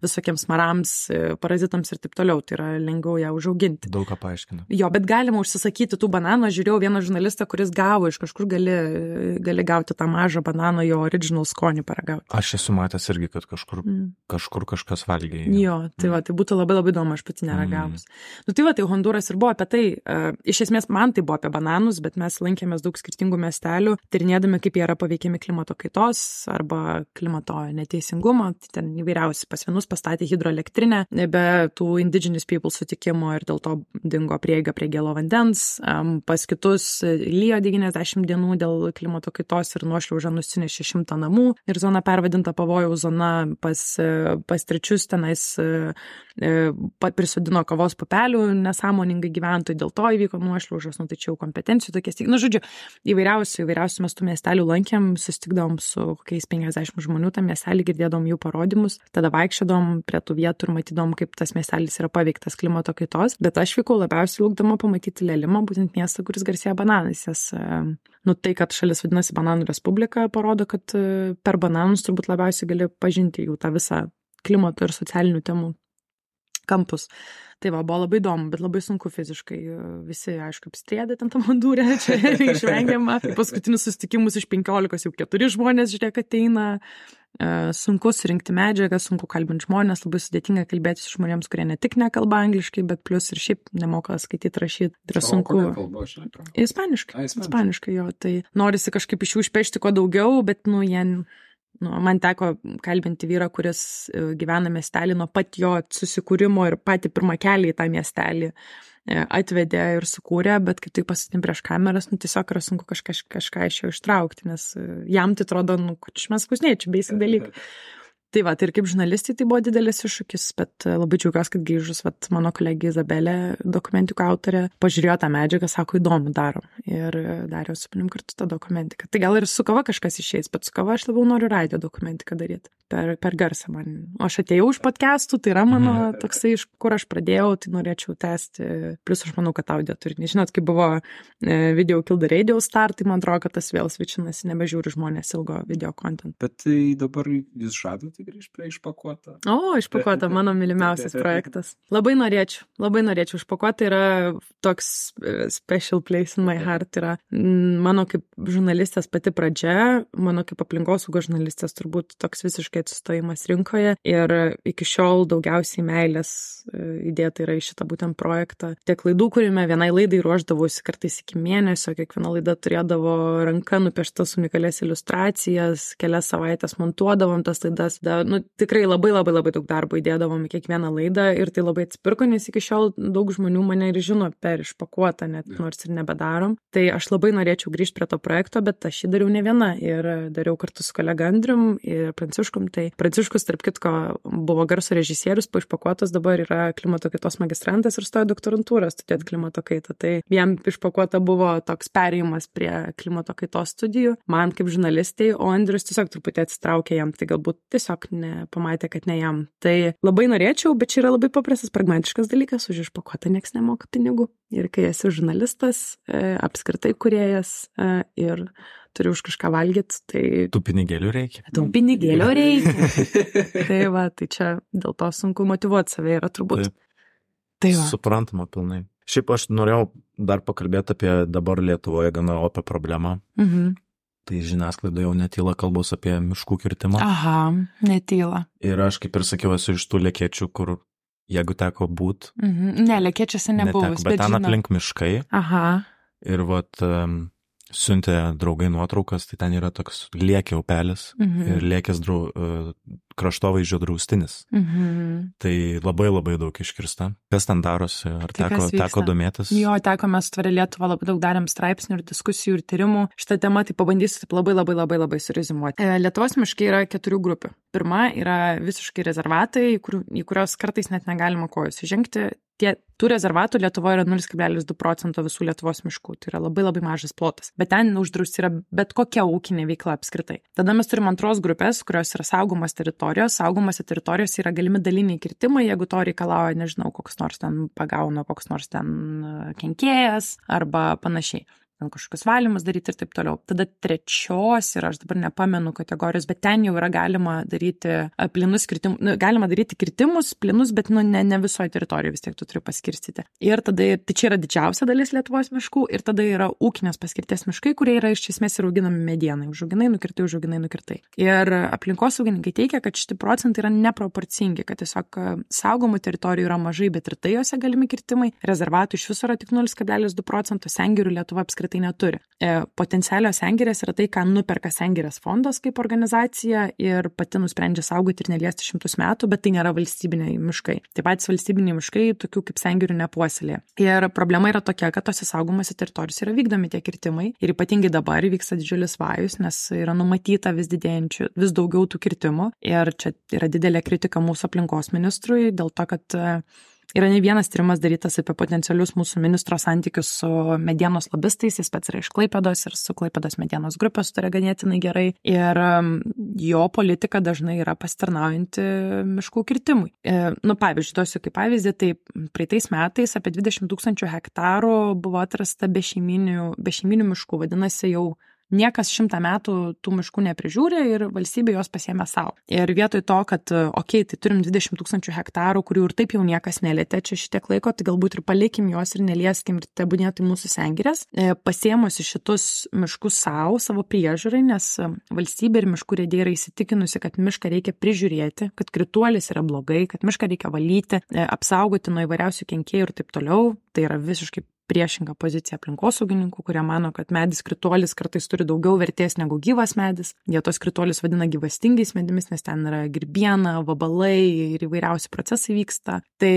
visokiems marams, parazitams ir taip toliau, tai yra lengviau ją užauginti. Daug ką paaiškina. Jo, bet galima užsisakyti tų bananų, aš žiūrėjau vieną žurnalistą, kuris gavo iš kažkur gali gauti tą mažą bananą, jo original skonį paragauti. Aš esu matęs irgi, kad kažkur kažkas valgė. Jo, tai būtų labai labai įdomu, aš pati neragavus. Tai Hondūras ir buvo apie tai, iš esmės man tai buvo apie bananus, bet mes lankėmės daug skirtingų miestelių miestelių, tyrinėdami, kaip jie yra paveikiami klimato kaitos arba klimato neteisingumo. Ten įvairiausi, pas vienus pastatė hidroelektrinę be tų indigenous people sutikimo ir dėl to dingo prieiga prie gėlo vandens, pas kitus lyjo 90 dienų dėl klimato kaitos ir nuošliauža nusinešė 100 namų ir zona pervadinta pavojaus zona, pas trečius tenais prisodino kavos pupelių nesąmoningai gyventojai, dėl to įvyko nuošliaužos, tai čia jau kompetencijų tokie. Žodžiu, įvairiausių mes tų miestelių lankėm, susitikdavom su kokiais 50 žmonių tam miestelį, girdėdom jų parodymus, tada vaikščiodom prie tų vietų ir matydom, kaip tas miestelis yra paveiktas klimato kaitos, bet aš vykau labiausiai laukdama pamatyti Lelimą, būtent miestą, kuris garsėja bananais. Tai, kad šalis vadinasi Bananų Respublika, parodo, kad per bananus turbūt labiausiai gali pažinti jų tą visą klimato ir socialinių temų kampus. Tai buvo labai įdomu, bet labai sunku fiziškai. Visi, aišku, apstrėdė ten tą mandūrę, čia išvengiama. Paskutinius susitikimus iš 15 jau 4 žmonės, žiūrėk, ateina. Sunku surinkti medžiagą, sunku kalbinti žmonės, labai sudėtinga kalbėti su žmonėms, kurie ne tik nekalba angliškai, bet plus ir šiaip nemoka skaityti, rašyti. Tai yra sunku. Ispaniškai, jo. Tai norisi kažkaip iš jų išpešti kuo daugiau, bet, man teko kalbinti vyrą, kuris gyvena miestelį nuo pat jo susikūrimo ir patį pirmą kelią į tą miestelį atvedė ir sukūrė, bet kaip tai pasitim prieš kameras, tiesiog yra sunku kažką iš jo ištraukti, nes jam tai atrodo, kad mes kusnėčiau, basic dalykai. Tai va, tai ir kaip žurnalistai tai buvo didelis iššūkis, bet labai džiaugiuosi, kad grįžus, mano kolegė Izabelė, dokumentikų autorė, pažiūrėjo tą medžiagą, sako, įdomu darom. Ir dariau su manim kartu tą dokumentiką. Tai gal ir su kava kažkas išeis, bet su kava aš labiau noriu radio dokumentiką daryti. Per garsą man. O aš atėjau iš podcastų, tai yra mano toksai, iš kur aš pradėjau, tai norėčiau tęsti. Plus aš manau, kad audio turinį. Žinot, kai buvo video Kill the Radio Start, tai man atrodo, kad tas vėl svičinasi, nebežiūri žmonės ilgo video content. Bet tai dabar jūs žadote grįžti prie Išpakuota? Išpakuota, mano mylimiausias projektas. Labai norėčiau. Išpakuota yra toks special place in my heart. Yra mano kaip žurnalistės pati pradžia, mano kaip aplinkosaugos žurnalistės turbūt toks visiškai atsistojimas rinkoje ir iki šiol daugiausiai meilės įdėta yra į šitą būtent projektą. Tiek laidų, kuriame vienai laidai ruošdavausi kartais iki mėnesio, kiekviena laida turėdavo ranka nupieštas unikalias iliustracijas, kelias savaitės montuodavom tas laidas. Tikrai labai daug darbo įdėdavom į kiekvieną laidą ir tai labai atsipirko, nes iki šiol daug žmonių mane ir žino per Išpakuotą, net nors ir nebedarom. Tai aš labai norėčiau grįžti prie to projekto, bet aš jį dariau ne viena ir dariau kartu su kolega Andrium ir Pranciškum. Tai Pranciškus, tarp kitko, buvo garso režisierius, po Išpakuotos dabar yra klimato kaitos magistrantas ir stojo doktorantūrą studijuoti klimato kaitą. Tai jam Išpakuota buvo toks perėjimas prie klimato kaitos studijų, man kaip žurnalistai, o Andrius tiesiog truputį atsitraukė jam, tai galbūt tiesiog pamatė, kad ne jam. Tai labai norėčiau, bet čia yra labai paprastas, pragmatiškas dalykas, už Išpakuotą nieks nemoka pinigų. Ir kai esi žurnalistas, apskritai kūrėjas ir turi už kažką valgyti, tai... Tų pinigėlių reikia. Tai čia dėl to sunku motyvuoti save yra turbūt. Tai suprantama pilnai. Šiaip aš norėjau dar pakalbėti apie dabar Lietuvoje gana opę problemą. Tai žiniasklaidoje jau netyla kalbos apie miškų kirtimą. Netyla. Ir aš, kaip ir sakiau, esu iš tų lekėčių, kur jeigu teko būt... Ne, lekėčiose nebuvus, bet ten aplink miškai. Ir siuntė draugai nuotraukas, tai ten yra toks Liekė upelis ir Liekės kraštovaizdžio draustinis. Tai labai daug iškirsta. Kas ten darosi? Ar teko domėtis? Jo, teko, mes Tvaria Lietuva labai daug darėm straipsnių ir diskusijų ir tyrimų. Šitą temą tai pabandysiu taip labai surizimuoti. Lietuvos miškai yra 4 grupių. Pirma yra visiškai rezervatai, į kurios kartais net negalima kojos įžengti. Tų rezervatų Lietuvoje yra 0,2% visų Lietuvos miškų. Tai yra labai mažas plotas. Bet ten uždrausti yra bet kokia ūkinė veikla apskritai. Tada mes turim antros grupės, kurios yra saugomos teritorijos. Saugomose teritorijose yra galimi daliniai kirtimai, jeigu to reikalauja, nežinau, koks nors ten pagauna, koks nors ten kenkėjas arba panašiai. Ten kažkokius valymus daryti ir taip toliau. Tada trečios yra, aš dabar nepamenu kategorijos, bet ten jau yra galima daryti plinus kirtimus, galima daryti kirtimus plinus, bet ne visoje teritorijoje vis tiek tu turi paskirstyti. Ir tada, tai čia yra didžiausia dalis Lietuvos miškų ir tada yra ūkinės paskirties miškai, kurie yra iš esmės ir auginami medienai, užauginai, nukirtai. Ir aplinkosaugininkai teigia, kad šitie procentai yra neproporcingi, kad tiesiog saugomų teritorijų yra mažai, bet ir tai jose galimi kirtimai. Rezervatų iš viso yra tik 0,2%, sengirių Lietuva apskritai apskritai neturi. Potencialios sengirės yra tai, ką nuperka Sengirės fondas kaip organizacija ir pati nusprendžia saugoti ir neliesti 100 metų, bet tai nėra valstybiniai miškai. Taip pat valstybiniai miškai tokių kaip sengirių nepuoselėja. Ir problema yra tokia, kad tose saugomose teritorijose yra vykdomi tie kirtimai ir ypatingai dabar vyksta didžiulis vajus, nes yra numatyta vis daugiau tų kirtimų ir čia yra didelė kritika mūsų aplinkos ministrui dėl to, kad yra ne vienas tyrimas darytas apie potencialius mūsų ministro santykius su medienos lobistais, jis pats yra iš Klaipėdos ir su Klaipėdos medienos grupės sutarė ganėtinai gerai ir jo politika dažnai yra pasitarnaujanti miškų kirtimui. Pavyzdžiui, duosiu kaip pavyzdį, tai praeitais metais apie 20 000 hektarų buvo atrasta bešeiminių miškų, vadinasi jau niekas 100 metų tų miškų neprižiūrė ir valstybė jos pasiėmė savo. Ir vietoj to, kad, tai turim 20 000 hektarų, kurių ir taip jau niekas nelietė čia šitiek laiko, tai galbūt ir palikim juos ir nelieskim ir tebūnėtų mūsų sengirės, pasiėmusi šitus miškus savo priežiūrai, nes valstybė ir miškų urėdija yra įsitikinusi, kad mišką reikia prižiūrėti, kad krituolis yra blogai, kad mišką reikia valyti, apsaugoti nuo įvairiausių kenkėjų ir taip toliau. Tai yra visiškai priešinga pozicija aplinkosaugininkų, kurie mano, kad medis krituolis kartais turi daugiau vertės negu gyvas medis. Jie tos krituolius vadina gyvastingais medimis, nes ten yra grybiena, vabalai ir įvairiausi procesai vyksta. Tai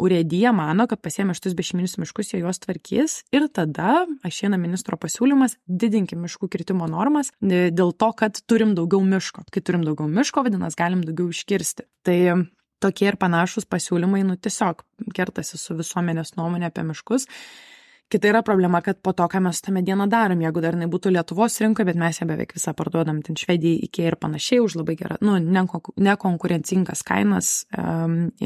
urėdija mano, kad pasiėmė šitus bešeiminius miškus, jie juos tvarkys ir tada išeina ministro pasiūlymas didinti miškų kirtimo normas dėl to, kad turim daugiau miško. Kai turim daugiau miško, vadinasi, galim daugiau iškirsti. Tai tokie ir panašus pasiūlymai, tiesiog kertasi su visuomenės nuomonė apie miškus. Kita yra problema, kad po to, ką mes tą medieną darom, jeigu dar būtų Lietuvos rinkoje, bet mes ją beveik visą parduodam ten Švedijai, IKEA ir panašiai už labai gerą, nekonkurencingas kainas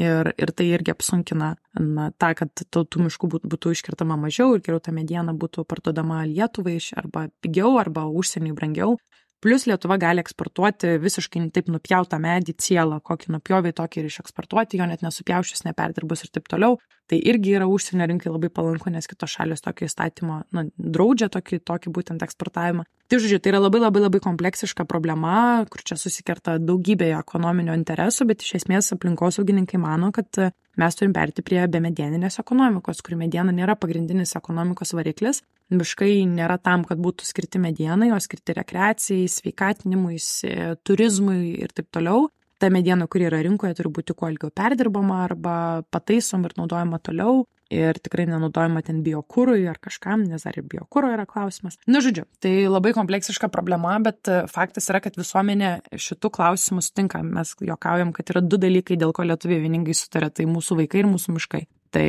ir tai irgi apsunkina tą, kad tų miškų būtų iškertama mažiau ir geriau ta mediena būtų parduodama Lietuvai arba pigiau, arba užsieniui brangiau. Plus Lietuva gali eksportuoti visiškai taip nupjautą medį cielą, kokį nupjovė, tokį ir išeksportuoti, jo net nesupjaušius, neperdirbus ir taip toliau. Tai irgi yra užsienio rinkai labai palanku, nes kitos šalys tokio įstatymo draudžia tokį būtent eksportavimą. Tai žodžiu, tai yra labai kompleksiška problema, kur čia susikerta daugybė ekonominio interesų, bet iš esmės aplinkosaugininkai mano, kad mes turim perėti prie bemedieninės ekonomikos, kur mediena nėra pagrindinis ekonomikos variklis. Miškai nėra tam, kad būtų skirti medienai, o skirti rekreacijai, sveikatinimui, turizmui ir taip toliau. Ta mediena, kuri yra rinkoje, turi būti kuo ilgiau perdirbama arba pataisom ir naudojama toliau. Ir tikrai nenaudojama ten biokūrui ar kažkam, nes dar ir biokūro yra klausimas. Žodžiu, tai labai kompleksiška problema, bet faktas yra, kad visuomenė šitų klausimų sutinka. Mes juokaujam, kad yra 2 dalykai, dėl ko lietuviai vieningai sutarė, tai mūsų vaikai ir mūsų miškai. Tai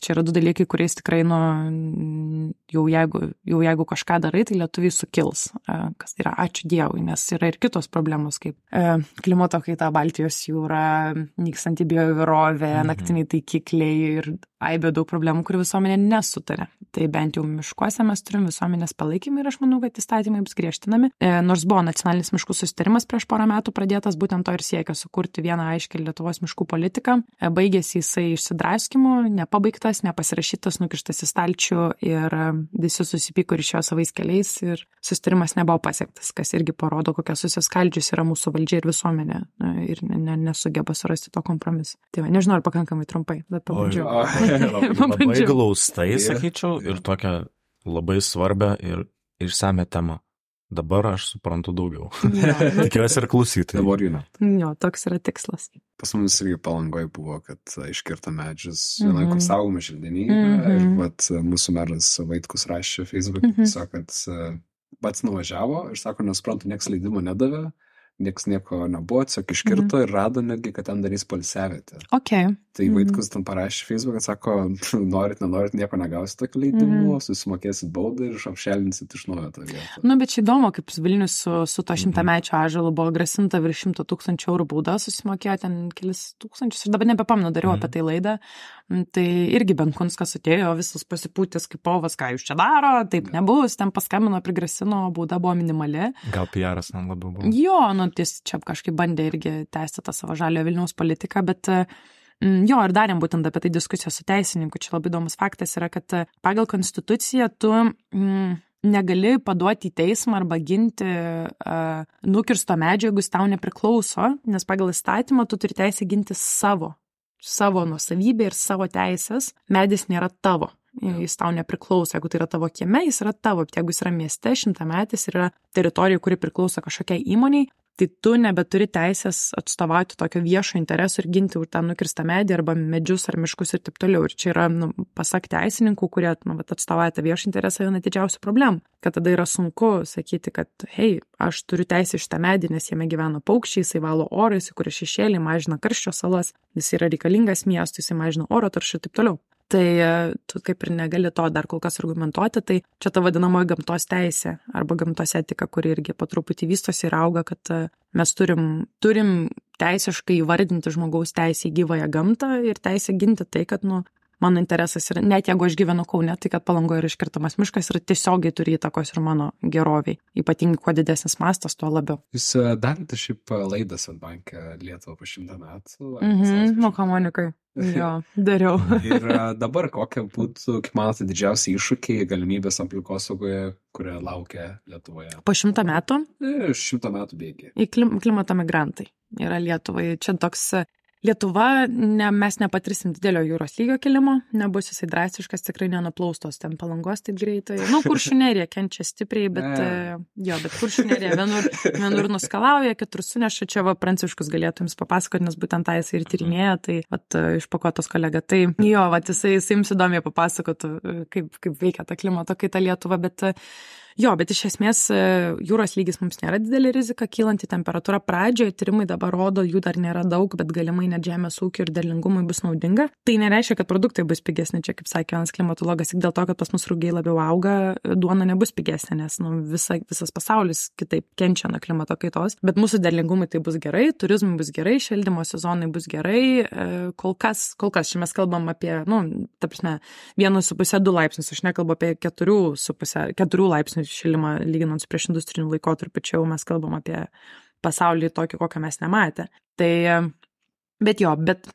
čia yra 2 dalykai, kuriais tikrai, jau jeigu kažką darai, tai lietuviai sukils, kas yra ačiū Dievui, nes yra ir kitos problemos, kaip klimato kaita, Baltijos jūra, nykstanti bioįvairovė, naktiniai taikikliai ir aibė daug problemų, kurių visuomenė nesutarė. Tai bent jau miškuose mes turim visuomenės palaikymą ir aš manau, kad įstatymai bus griežtinami. Nors buvo nacionalinis miškų susitarimas prieš porą metų pradėtas, būtent to ir siekia sukurti vieną aiškią Lietuvos miškų politiką. Baigėsi jisai išsidraskimu, nepabaigtas, nepasirašytas, nukištas į stalčių ir visi susipyko ir išėjo savais keliais ir susitarimas nebuvo pasiektas, kas irgi parodo, kokia susiskaldžius yra mūsų valdžia ir visuomenė ir nesugeba surasti to kompromiso. Tai nežinau, ar pakankamai trumpai, bet pabandžiau. Labai glaustai, sakyčiau, ir tokią labai svarbią ir išsame temą. Dabar aš suprantu daugiau. Tikiuosi ir klausytojai. Dabar žinau. Jo, toks yra tikslas. Pas mus irgi Palangoje buvo, kad iškirta medžius vienoje kur saugoma želdinyje ir mūsų meras Vaitkus rašė Facebook'e, kad pats nuvažiavo ir sako, nesuprantu, nieks leidimo nedavė. Nieks nieko nebuvo, tiesiog iškirto ir rado netgi, kad ten darys poilsiavietę. Okay. Tai Vaitkus ten parašė Facebook'e, sako, norit, nieko negausit tokį leidimų, susimokėsit baudą ir apšelinsit iš naujo tą vietą. Bet čia įdomu, kaip Vilnius su to 100-mečio ąžuolu buvo grasinta virš 100 000 eurų bauda, susimokėjo ten kelis tūkstančius, ir dabar nebepamenu, dariau apie tai laidą. Tai irgi Benkunskas atėjo, visas pasipūtęs kaip povas, ką jūs čia daro, taip nebus, ten paskambino, prigrasino, bauda buvo minimali. Gal PR-as man labiau buvo. Jo, jis čia kažkaip bandė irgi tęsti tą savo žalio Vilniaus politiką, bet jo, ir darėm būtent apie tai diskusiją su teisininku. Čia labai įdomus faktas yra, kad pagal konstituciją tu negali paduoti į teismą arba ginti nukirsto medžio, jeigu jis tau nepriklauso, nes pagal įstatymą tu turi teisę ginti savo nuosavybę ir savo teisės. Medis nėra tavo. jis tau nepriklauso, jeigu tai yra tavo kieme, jis yra tavo, bet jeigu jis yra mieste, 100-metis ir yra teritorija, kuri priklauso kažkokiai įmoniai, tai tu nebeturi teisės atstovauti tokio viešo intereso ir ginti už tą nukirstą medį arba medžius ar miškus ir taip toliau. Ir čia yra, pasak teisininkų, kurie atstovauja tą viešą interesą, viena didžiausių problemų, kad tada yra sunku sakyti, kad hei, aš turiu teisę šitą medį, nes jame gyvena paukščiai, jisai valo orą, jisai kuria šešėlį, mažina karščio salas, jis yra reikalingas miestui, jisai mažina oro taršą ir taip toliau. Tai tu kaip ir negali to dar kol kas argumentuoti, tai čia ta vadinamoji gamtos teisė arba gamtos etika, kuri irgi po truputį vystosi ir auga, kad mes turim teisiškai įvardinti žmogaus teisę į gyvąją gamtą ir teisę ginti tai, kad, mano interesas yra, net jeigu aš gyvenu Kaune, tai kad Palangoje yra iškirtamas miškas ir tiesiogiai turi įtakos ir mano geroviai. Ypatingai, kuo didesnis mastas, tuo labiau. Jūs darėte šiaip laidą Swedbanke Lietuvą po 100 metų? Mokonikai. Jo, dariau. Ir dabar kokia būtų, kaip manote, didžiausi iššūkiai, galimybės aplinkosaugoje, kurie laukia Lietuvoje? Po 100 metų? 100 metų bėgiai. Į klimato migrantai yra Lietuvai. Čia toks Lietuva, mes nepatirsim didelio jūros lygio kilimo, nebus jisai drastiškas, tikrai nenuplaustos ten Palangos taip greitai. Kuršių nerija kenčia stipriai, bet Kuršių nerija vienur nuskalauja, kitur suneša, čia Pranciškus galėtų jums papasakoti, nes būtent tą jisai ir tyrinėja, tai išpakuotos kolega. Tai jisai jums įdomiai papasakotų, kaip veikia ta klimato kaita Lietuva, bet iš esmės jūros lygis mums nėra didelė rizika, kylanti temperatūra pradžioje, tyrimai dabar rodo, jų dar nėra daug, bet galimai net žemės ūkio ir derlingumui bus naudinga. Tai nereiškia, kad produktai bus pigesni, čia kaip sakė vienas klimatologas, tik dėl to, kad pas mus rugiai labiau auga, duona nebus pigesnė, nes visas pasaulis kitaip kenčia nuo klimato kaitos, bet mūsų derlingumui tai bus gerai, turizmui bus gerai, šildymo sezonai bus gerai, kol kas čia mes kalbam apie, 1,5-2 laipsnius, aš nekalbu apie 4 laipsnių šilimą lyginant su prieš industriniu laikotarpiu, čia jau mes kalbam apie pasaulį tokį, kokią mes nematę. Bet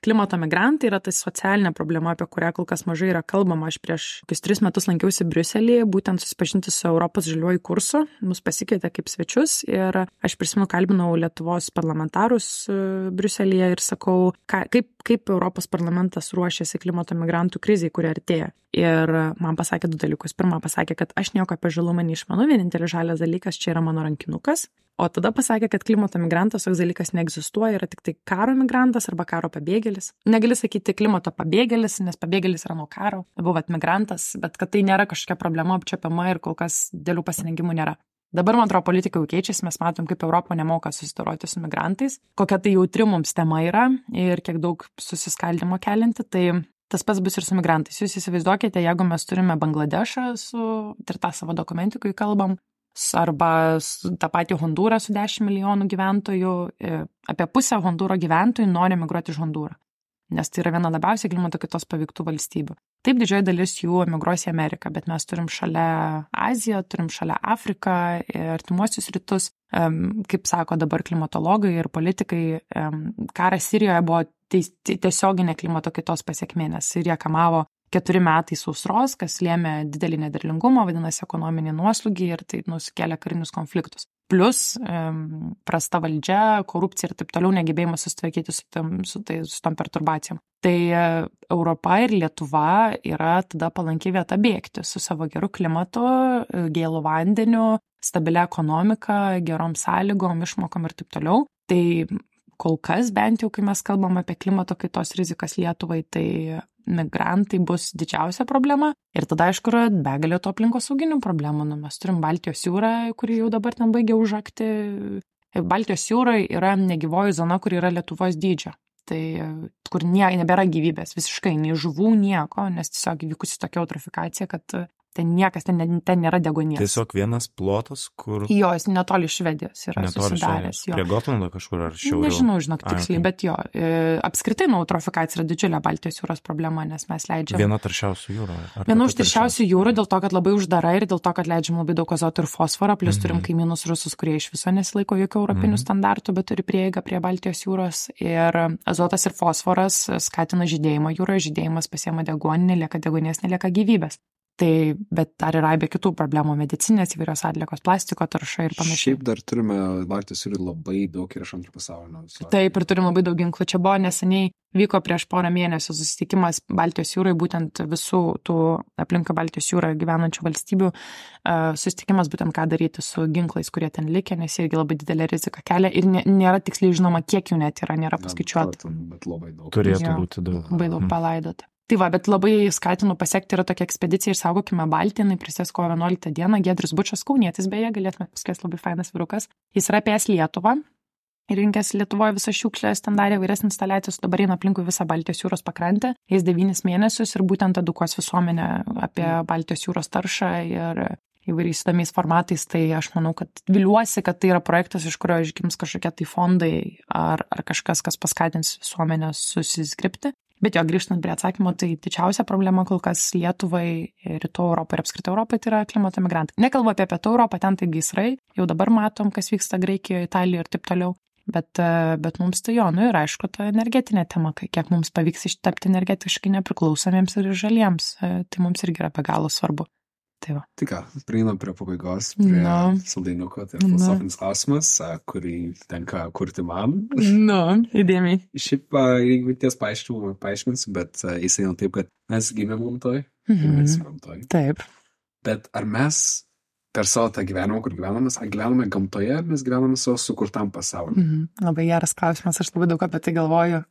klimato migrantai yra tai socialinė problema, apie kurią kol kas mažai yra kalbama. Aš prieš 3 metus lankiausi Briuselyje, būtent susipažinti su Europos žaliuoju kursu, mus pasikvietė kaip svečius ir aš prisimenu, kalbinau Lietuvos parlamentarus Briuselyje ir sakau, kaip Europos parlamentas ruošiasi klimato migrantų krizai, kuri artėja. Ir man pasakė 2 dalykus. Pirma, pasakė, kad aš nieko apie žalumą neišmanau, vienintelis žalias dalykas čia yra mano rankinukas. O tada pasakė, kad klimato migrantas toks dalykas neegzistuoja, yra tik tai karo migrantas arba karo pabėgėlis. Negali sakyti klimato pabėgėlis, nes pabėgėlis yra nuo karo, buvot migrantas, bet kad tai nėra kažkokia problema apčiuopiama ir kol kas dėlių pasirengimų nėra. Dabar, man atrodo, politika jau keičiasi, mes matom, kaip Europa nemoka susidoroti su migrantais, kokia tai jautri mums tema yra ir kiek daug susiskaldimo kelinti, tai tas pats bus ir su migrantais. Jūs įsivaizduokite, jeigu mes turime Bangladešą ir tą savo dokumentikui kalbam, arba tą patį Hondūrą su 10 milijonų gyventojų, apie pusę Hondūro gyventojų nori migruoti iš Hondūro, nes tai yra viena labiausiai klimato kaitos paveiktų valstybių. Taip, didžioji dalis jų emigruos į Ameriką, bet mes turim šalia Aziją, turim šalia Afriką ir Artimuosius rytus. Kaip sako dabar klimatologai ir politikai, karas Sirijoje buvo tiesioginė klimato kaitos pasekmė, nes Sirija kamavo 4 metai sausros, kas lėmė didelį nederlingumą, vadinasi ekonominį nuoslūgį ir tai sukėlė karinius konfliktus. Plus prasta valdžia, korupcija ir taip toliau, negebėjimas susitvarkyti su tom perturbacijom. Tai Europa ir Lietuva yra tada palanki vieta bėgti su savo geru klimatu, gėlu vandeniu, stabilia ekonomika, gerom sąlygom, išmokom ir taip toliau. Tai kol kas, bent jau, kai mes kalbam apie klimato kaitos rizikas Lietuvai, tai migrantai bus didžiausia problema. Ir tada, aišku, yra begalė to aplinkosauginių problemų. Mes turim Baltijos jūrą, kuri jau dabar ten baigia užakti. Baltijos jūroje yra negyvoji zona, kuri yra Lietuvos dydžio. Tai kur nebėra gyvybės, visiškai, nei žuvų, nieko, nes tiesiog įvykusi tokia eutrofikacija, kad ten niekas, ten nėra deguonies. Tiesiog vienas plotas, kur... Jo, jis netoli Švedijos yra susidaręs. Prie Gotlando kažkur ar šiauriau? Nežinau, žinok, tiksliai, bet jo. Apskritai, eutrofikacija yra didžiulė Baltijos jūros problema, nes mes leidžiam... Viena taršiausių jūrų. Viena iš taršiausių jūrų dėl to, kad labai uždara ir dėl to, kad leidžiam labai daug azoto ir fosforo, plus turim kaimynus rusus, kurie iš viso nesilaiko jokių europinių standartų, bet turi prieigą prie Baltijos jūros. Ir azotas ir fosforas skatina žydėjimą jūroje, žydėjimas pasiema deguonį, nelieka deguonies, nelieka gyvybės. Tai, bet dar yra be kitų problemų, medicinės įvairios atliekos, plastiko tarša ir panašiai. Šiaip dar turime Baltijos jūrų labai daug ir iš antro pasaulinio. Taip, ir turim labai daug ginklų. Čia buvo neseniai, vyko prieš porą mėnesių susitikimas Baltijos jūrai, būtent visų tų aplinka Baltijos jūrą gyvenančių valstybių susitikimas, būtent ką daryti su ginklais, kurie ten likę, nes irgi labai didelė rizika kelia ir nėra tiksliai žinoma, kiek jų net yra, nėra paskaičiuota. Bet labai daug. Turėtų būti daug. Labai daug palaidota. Tai va, bet labai skatinu pasiekti, yra tokia ekspedicija Išsaugokime Baltiją, jinai prasidės kovo 11 dieną, Giedrius Bučas, kaunietis beje, galėtume paskės, labai fainas vyrukas. Jis yra apėjęs Lietuvą ir rinkęs Lietuvoje visą šiukšlės, ten darė vairias instaliacijas, dabar eina aplinkui visą Baltijos jūros pakrantę, jis 9 mėnesius ir būtent edukuos visuomenę apie Baltijos jūros taršą ir įvairiais įdomiais formatais, tai aš manau, kad viliuosi, kad tai yra projektas, iš kurio išgims kažkokie tai fondai ar kažkas, kas paskatins visuomenę susiskripti. Bet jo, grįžtant prie atsakymo, tai didžiausia problema kol kas Lietuvai, Rytų Europai ir apskritai Europai tai yra klimato migrantai. Nekalbu apie Pietų Europą, ten tai gaisrai, jau dabar matom, kas vyksta Graikijoje, Italijoje ir taip toliau. Bet mums tai jo, ir aišku, ta energetinė tema, kiek mums pavyks ištapti energetiškai nepriklausomiems ir žaliems, tai mums irgi yra be galo svarbu. Tai va. Tai ką, prieinam prie pabaigos, prie saldainiuko, tai filosofinis klausimas, kurį tenka kurti man. Įdėmiai. Šiaip, jeigu ties paaiškinsiu, bet jis eina taip, kad mes gimėm gamtoj ir mes gamtoj. Taip. Bet ar mes per savo tą gyvenimą, kur gyvename gamtoje, ar mes gyvename savo sukurtam pasauliu? Labai geras klausimas, aš labai daug apie tai galvoju.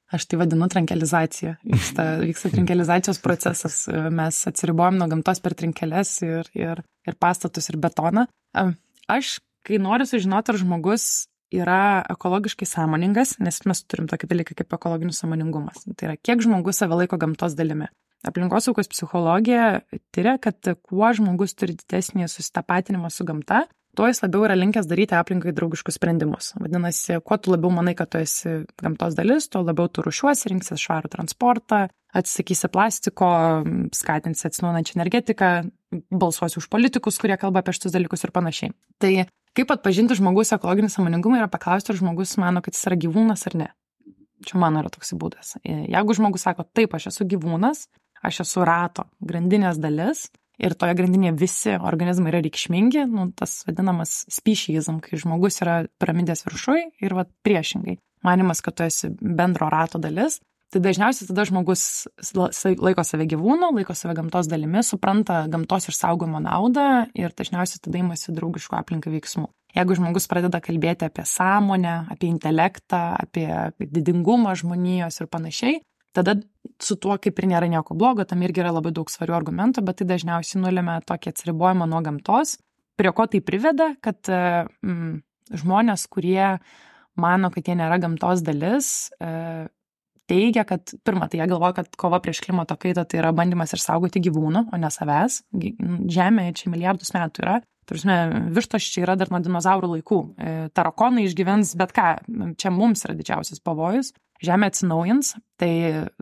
Aš tai vadinu trinkelizacija. Vyksta trinkelizacijos procesas. Mes atsiribojam nuo gamtos per trinkeles ir pastatus ir betoną. Aš, kai noriu sužinoti, ar žmogus yra ekologiškai sąmoningas, nes mes turim tokį dalyką kaip ekologinis sąmoningumas. Tai yra, kiek žmogus save laiko gamtos dalimi. Aplinkosaugos psichologija tyria, kad kuo žmogus turi didesnį susitapatinimą su gamta, tuo jis labiau yra linkęs daryti aplinkai draugiškus sprendimus. Vadinasi, kuo tu labiau manai, kad tu esi gamtos dalis, tuo labiau tu rūšiuosi, rinksies švarų transportą, atsisakysi plastiko, skatinsi atsinaujinančią energetiką, balsuosi už politikus, kurie kalba apie šitus dalykus ir panašiai. Tai kaip atpažinti žmogus ekologinį sąmoningumą yra paklausti, ar žmogus mano, kad jis yra gyvūnas ar ne. Čia mano yra toks būdas. Jeigu žmogus sako, taip, aš esu gyvūnas, aš esu rato grandinės dalis ir toje grandinėje visi organizmai yra reikšmingi, tas vadinamas speciesism, kai žmogus yra piramidės viršui ir priešingai. Manimas, kad tu esi bendro rato dalis, tai dažniausiai tada žmogus laiko save gyvūnu, laiko save gamtos dalimi, supranta gamtos išsaugojimo naudą ir dažniausiai tada imasi draugiškų aplinkai veiksmų. Jeigu žmogus pradeda kalbėti apie sąmonę, apie intelektą, apie didingumą žmonijos ir panašiai, tada su tuo kaip ir nėra nieko blogo, tam irgi yra labai daug svarių argumentų, bet tai dažniausiai nulemia tokį atsiribojimą nuo gamtos, prie ko tai priveda, kad žmonės, kurie mano, kad jie nėra gamtos dalis, teigia, kad pirmą, tai jie galvoja, kad kova prieš klimato kaitą tai yra bandymas išsaugoti gyvūnų, o ne savęs. Žemė čia milijardus metų yra. Vištos čia yra dar nuo dinozaurų laikų. Tarakonai išgyvens bet ką. Čia mums yra didžiausias pavojus. Žemė atsinaujins, tai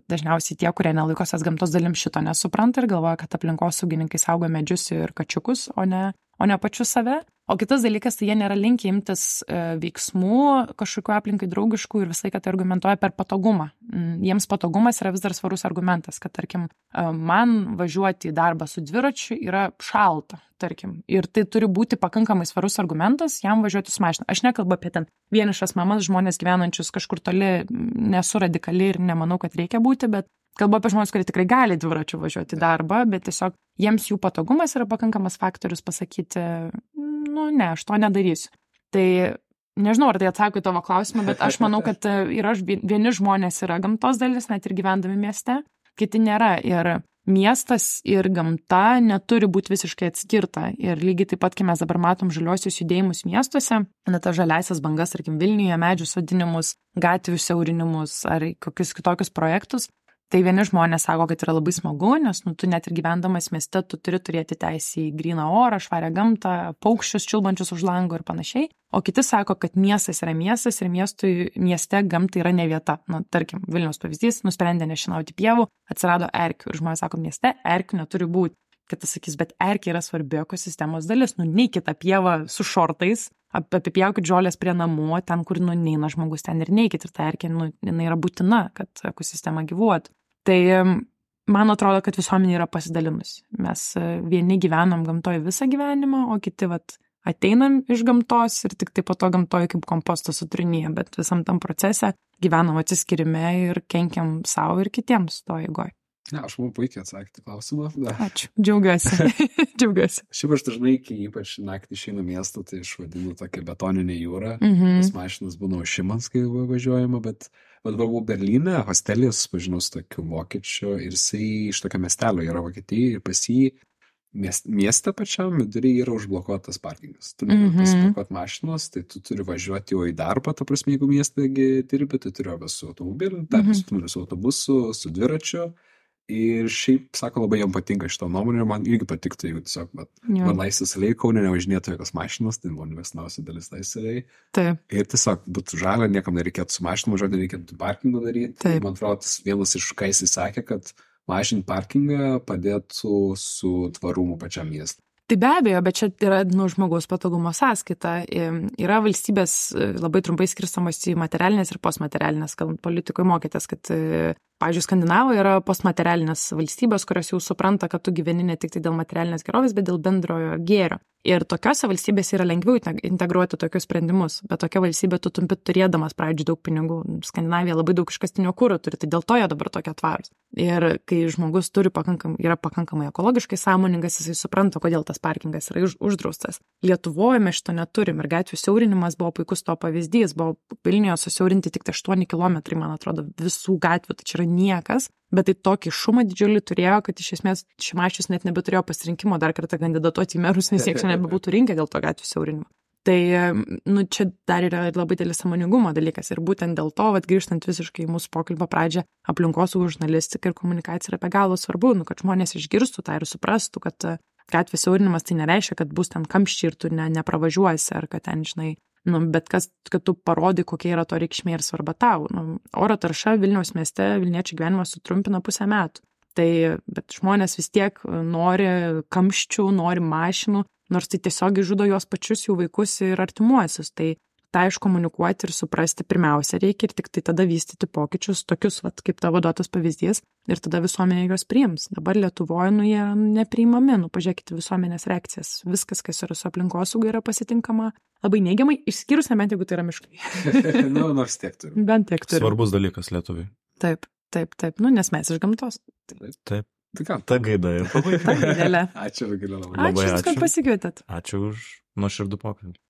dažniausiai tie, kurie nelaikosios gamtos dalim šito nesupranta ir galvoja, kad aplinkosaugininkai saugo medžius ir kačiukus, o ne pačius save. O kitas dalykas, tai jie nėra linkę imtis veiksmų kažkokiu aplinkai draugiškų ir visai, kad tai argumentuoja per patogumą. Jiems patogumas yra vis dar svarus argumentas, kad, tarkim, man važiuoti į darbą su dviračiu yra šalta, tarkim. Ir tai turi būti pakankamai svarus argumentas jam važiuoti su mašina. Aš nekalbu apie ten vienišas mamas, žmonės gyvenančius kažkur toli, nesu radikali ir nemanau, kad reikia būti, bet kalbu apie žmonės, kurie tikrai gali dviračiu važiuoti į darbą, bet tiesiog jiems jų patogumas yra pakankamas faktorius pasakyti, ne, aš to nedarysiu. Tai nežinau, ar tai atsako į tavo klausimą, bet aš manau, kad vieni žmonės yra gamtos dalis, net ir gyvendami mieste, kiti nėra. Ir miestas ir gamta neturi būti visiškai atskirta. Ir lygiai taip pat, kai mes dabar matom žaliosius judėjimus miestuose, tas žaliasias bangas, tarkim, Vilniuje, medžių sodinimus, gatvių siaurinimus ar kokius kitokius projektus, tai vieni žmonės sako, kad yra labai smagu, nes tu net ir gyvendamas mieste, tu turi turėti teisę į gryną orą, švarią gamtą, paukščius čiulbančius už lango ir panašiai. O kiti sako, kad miestas yra miestas ir mieste gamtai yra ne vieta. Tarkim, Vilniaus pavyzdys, nusprendė nešienauti pievų, atsirado erkių ir žmonės sako, mieste erkių neturi būti. Kitas sakys, bet erkė yra svarbi ekosistemos dalis, neikit tą pievą su šortais, apipjaukit žolės prie namų, ten, kur neina žmogus, ten ir neikit, ir ta erkė, jinai yra būtina, kad ekosistema gyvuotų. Tai man atrodo, kad visuomenė yra pasidalinusi. Mes vieni gyvenam gamtoje visą gyvenimą, o kiti ateinam iš gamtos ir tik tai po to gamtoje kaip kompostas sutrinėja, bet visam tam procese gyvenam atsiskirime ir kenkiam savo ir kitiems to eigoje. Ne, aš man puikiai atsakyti klausimą. Ačiū, džiaugiuosi. Džiaugiuosi. Šiaip aš dažnai, kai ypač naktį išeinu miestą, tai aš vadinu tokią betoninę jūrą. Tas mašinas būna užšimans, kai važiuojama, bet buvau Berlyne, hostelis, pažinau su tokiu vokiečiu ir jisai iš tokio miestelio yra Vokietijai ir pas jį mieste pačiam viduryje yra užblokuotas parkingas. Tu negali pasiparkuoti mašinos, tai tu turi važiuoti jau į darbą, ta prasme, jeigu mieste dirbi, tai turi arba su automobiliu, su autobusu, su dviračiu. Ir šiaip, sako, labai jam patinka šitą nuomonę ir man irgi patiktų, jeigu tiesiog, man laisvės aliai Kaune nevažinėtų jokios mašinos, tai man mėgsniausia dalis laisvės aliai. Taip. Ir tiesiog būtų žalia, niekam nereikėtų su mašinu važiuoti, nereikėtų parkingą daryti. Taip. Man atrodo, tas vienas iš ką jis sakė, kad mažinti parkingą padėtų su tvarumu pačiam miestui. Tai be abejo, bet čia yra žmogaus patogumo sąskaita. Yra valstybės labai trumpai skirstamos į materialinės ir postmaterialinės, kalbant politikoje mokėtės, kad, pavyzdžiui, Skandinavoje yra postmaterialinės valstybės, kurios jau supranta, kad tu gyveni ne tik tai dėl materialinės gerovės, bet dėl bendrojo gėrio. Ir tokiose valstybėse yra lengviau integruoti tokius sprendimus, bet tokia valstybė tu tumpi turėdamas pradžių daug pinigų. Skandinavija labai daug iškastinio kuro turi, tai dėl to jie dabar tokie tvarūs. Ir kai žmogus yra pakankamai ekologiškai sąmoningas, jisai supranta, kodėl tas parkingas yra uždraustas. Lietuvoje mes šito neturim ir gatvių siaurinimas buvo puikus to pavyzdys. Buvo Vilniuje susiaurinti tik 8 kilometrai, man atrodo, visų gatvių, tai čia yra niekas. Bet tai tokį šumą didžiulį turėjo, kad iš esmės Šimašius net nebeturėjo pasirinkimo dar kartą kandidatuoti į merus, nes jie čia nebebūtų rinkę dėl to gatvių siaurinimo. Tai, čia dar yra labai didelis sąmoningumo dalykas ir būtent dėl to, grįžtant visiškai į mūsų pokalbio pradžią, aplinkosaugos žurnalistika ir komunikacija yra be galo svarbu, kad žmonės išgirstų tą ir suprastų, kad gatvės siaurinimas tai nereiškia, kad bus ten kamščiai ir tu nepravažiuosi, ar kad ten, žinai, bet kad tu parodai, kokia yra to reikšmė ir svarba tau. Oro tarša Vilniaus mieste, Vilniečių gyvenimas sutrumpina 5 metų. Tai, bet žmonės vis tiek nori kamščių, nori mašinų, nors tai tiesiog žudo juos pačius, jų vaikus ir artimuosius. Tai tą iškomunikuoti ir suprasti pirmiausia reikia ir tik tai tada vystyti pokyčius, tokius, kaip tavo duotas pavyzdys, ir tada visuomenė juos priims. Dabar Lietuvoje, jie nepriimami, pažiūrėkite visuomenės reakcijas. Viskas, kas yra su aplinkosauga, yra pasitinkama labai neigiamai, išskyrus nebent, jeigu tai yra miškai. Nors tiek turi. Bent tiek turi. Svarbus dalykas Lietuvai. Taip, nes mes iš gamtos. Taip. Ta gaida ir pabaiga. Ta gaidelė. Ačiū, Rugilė, labai. Ačiū, kad pasikvietėt. Ačiū už nuoširdų pokalbį.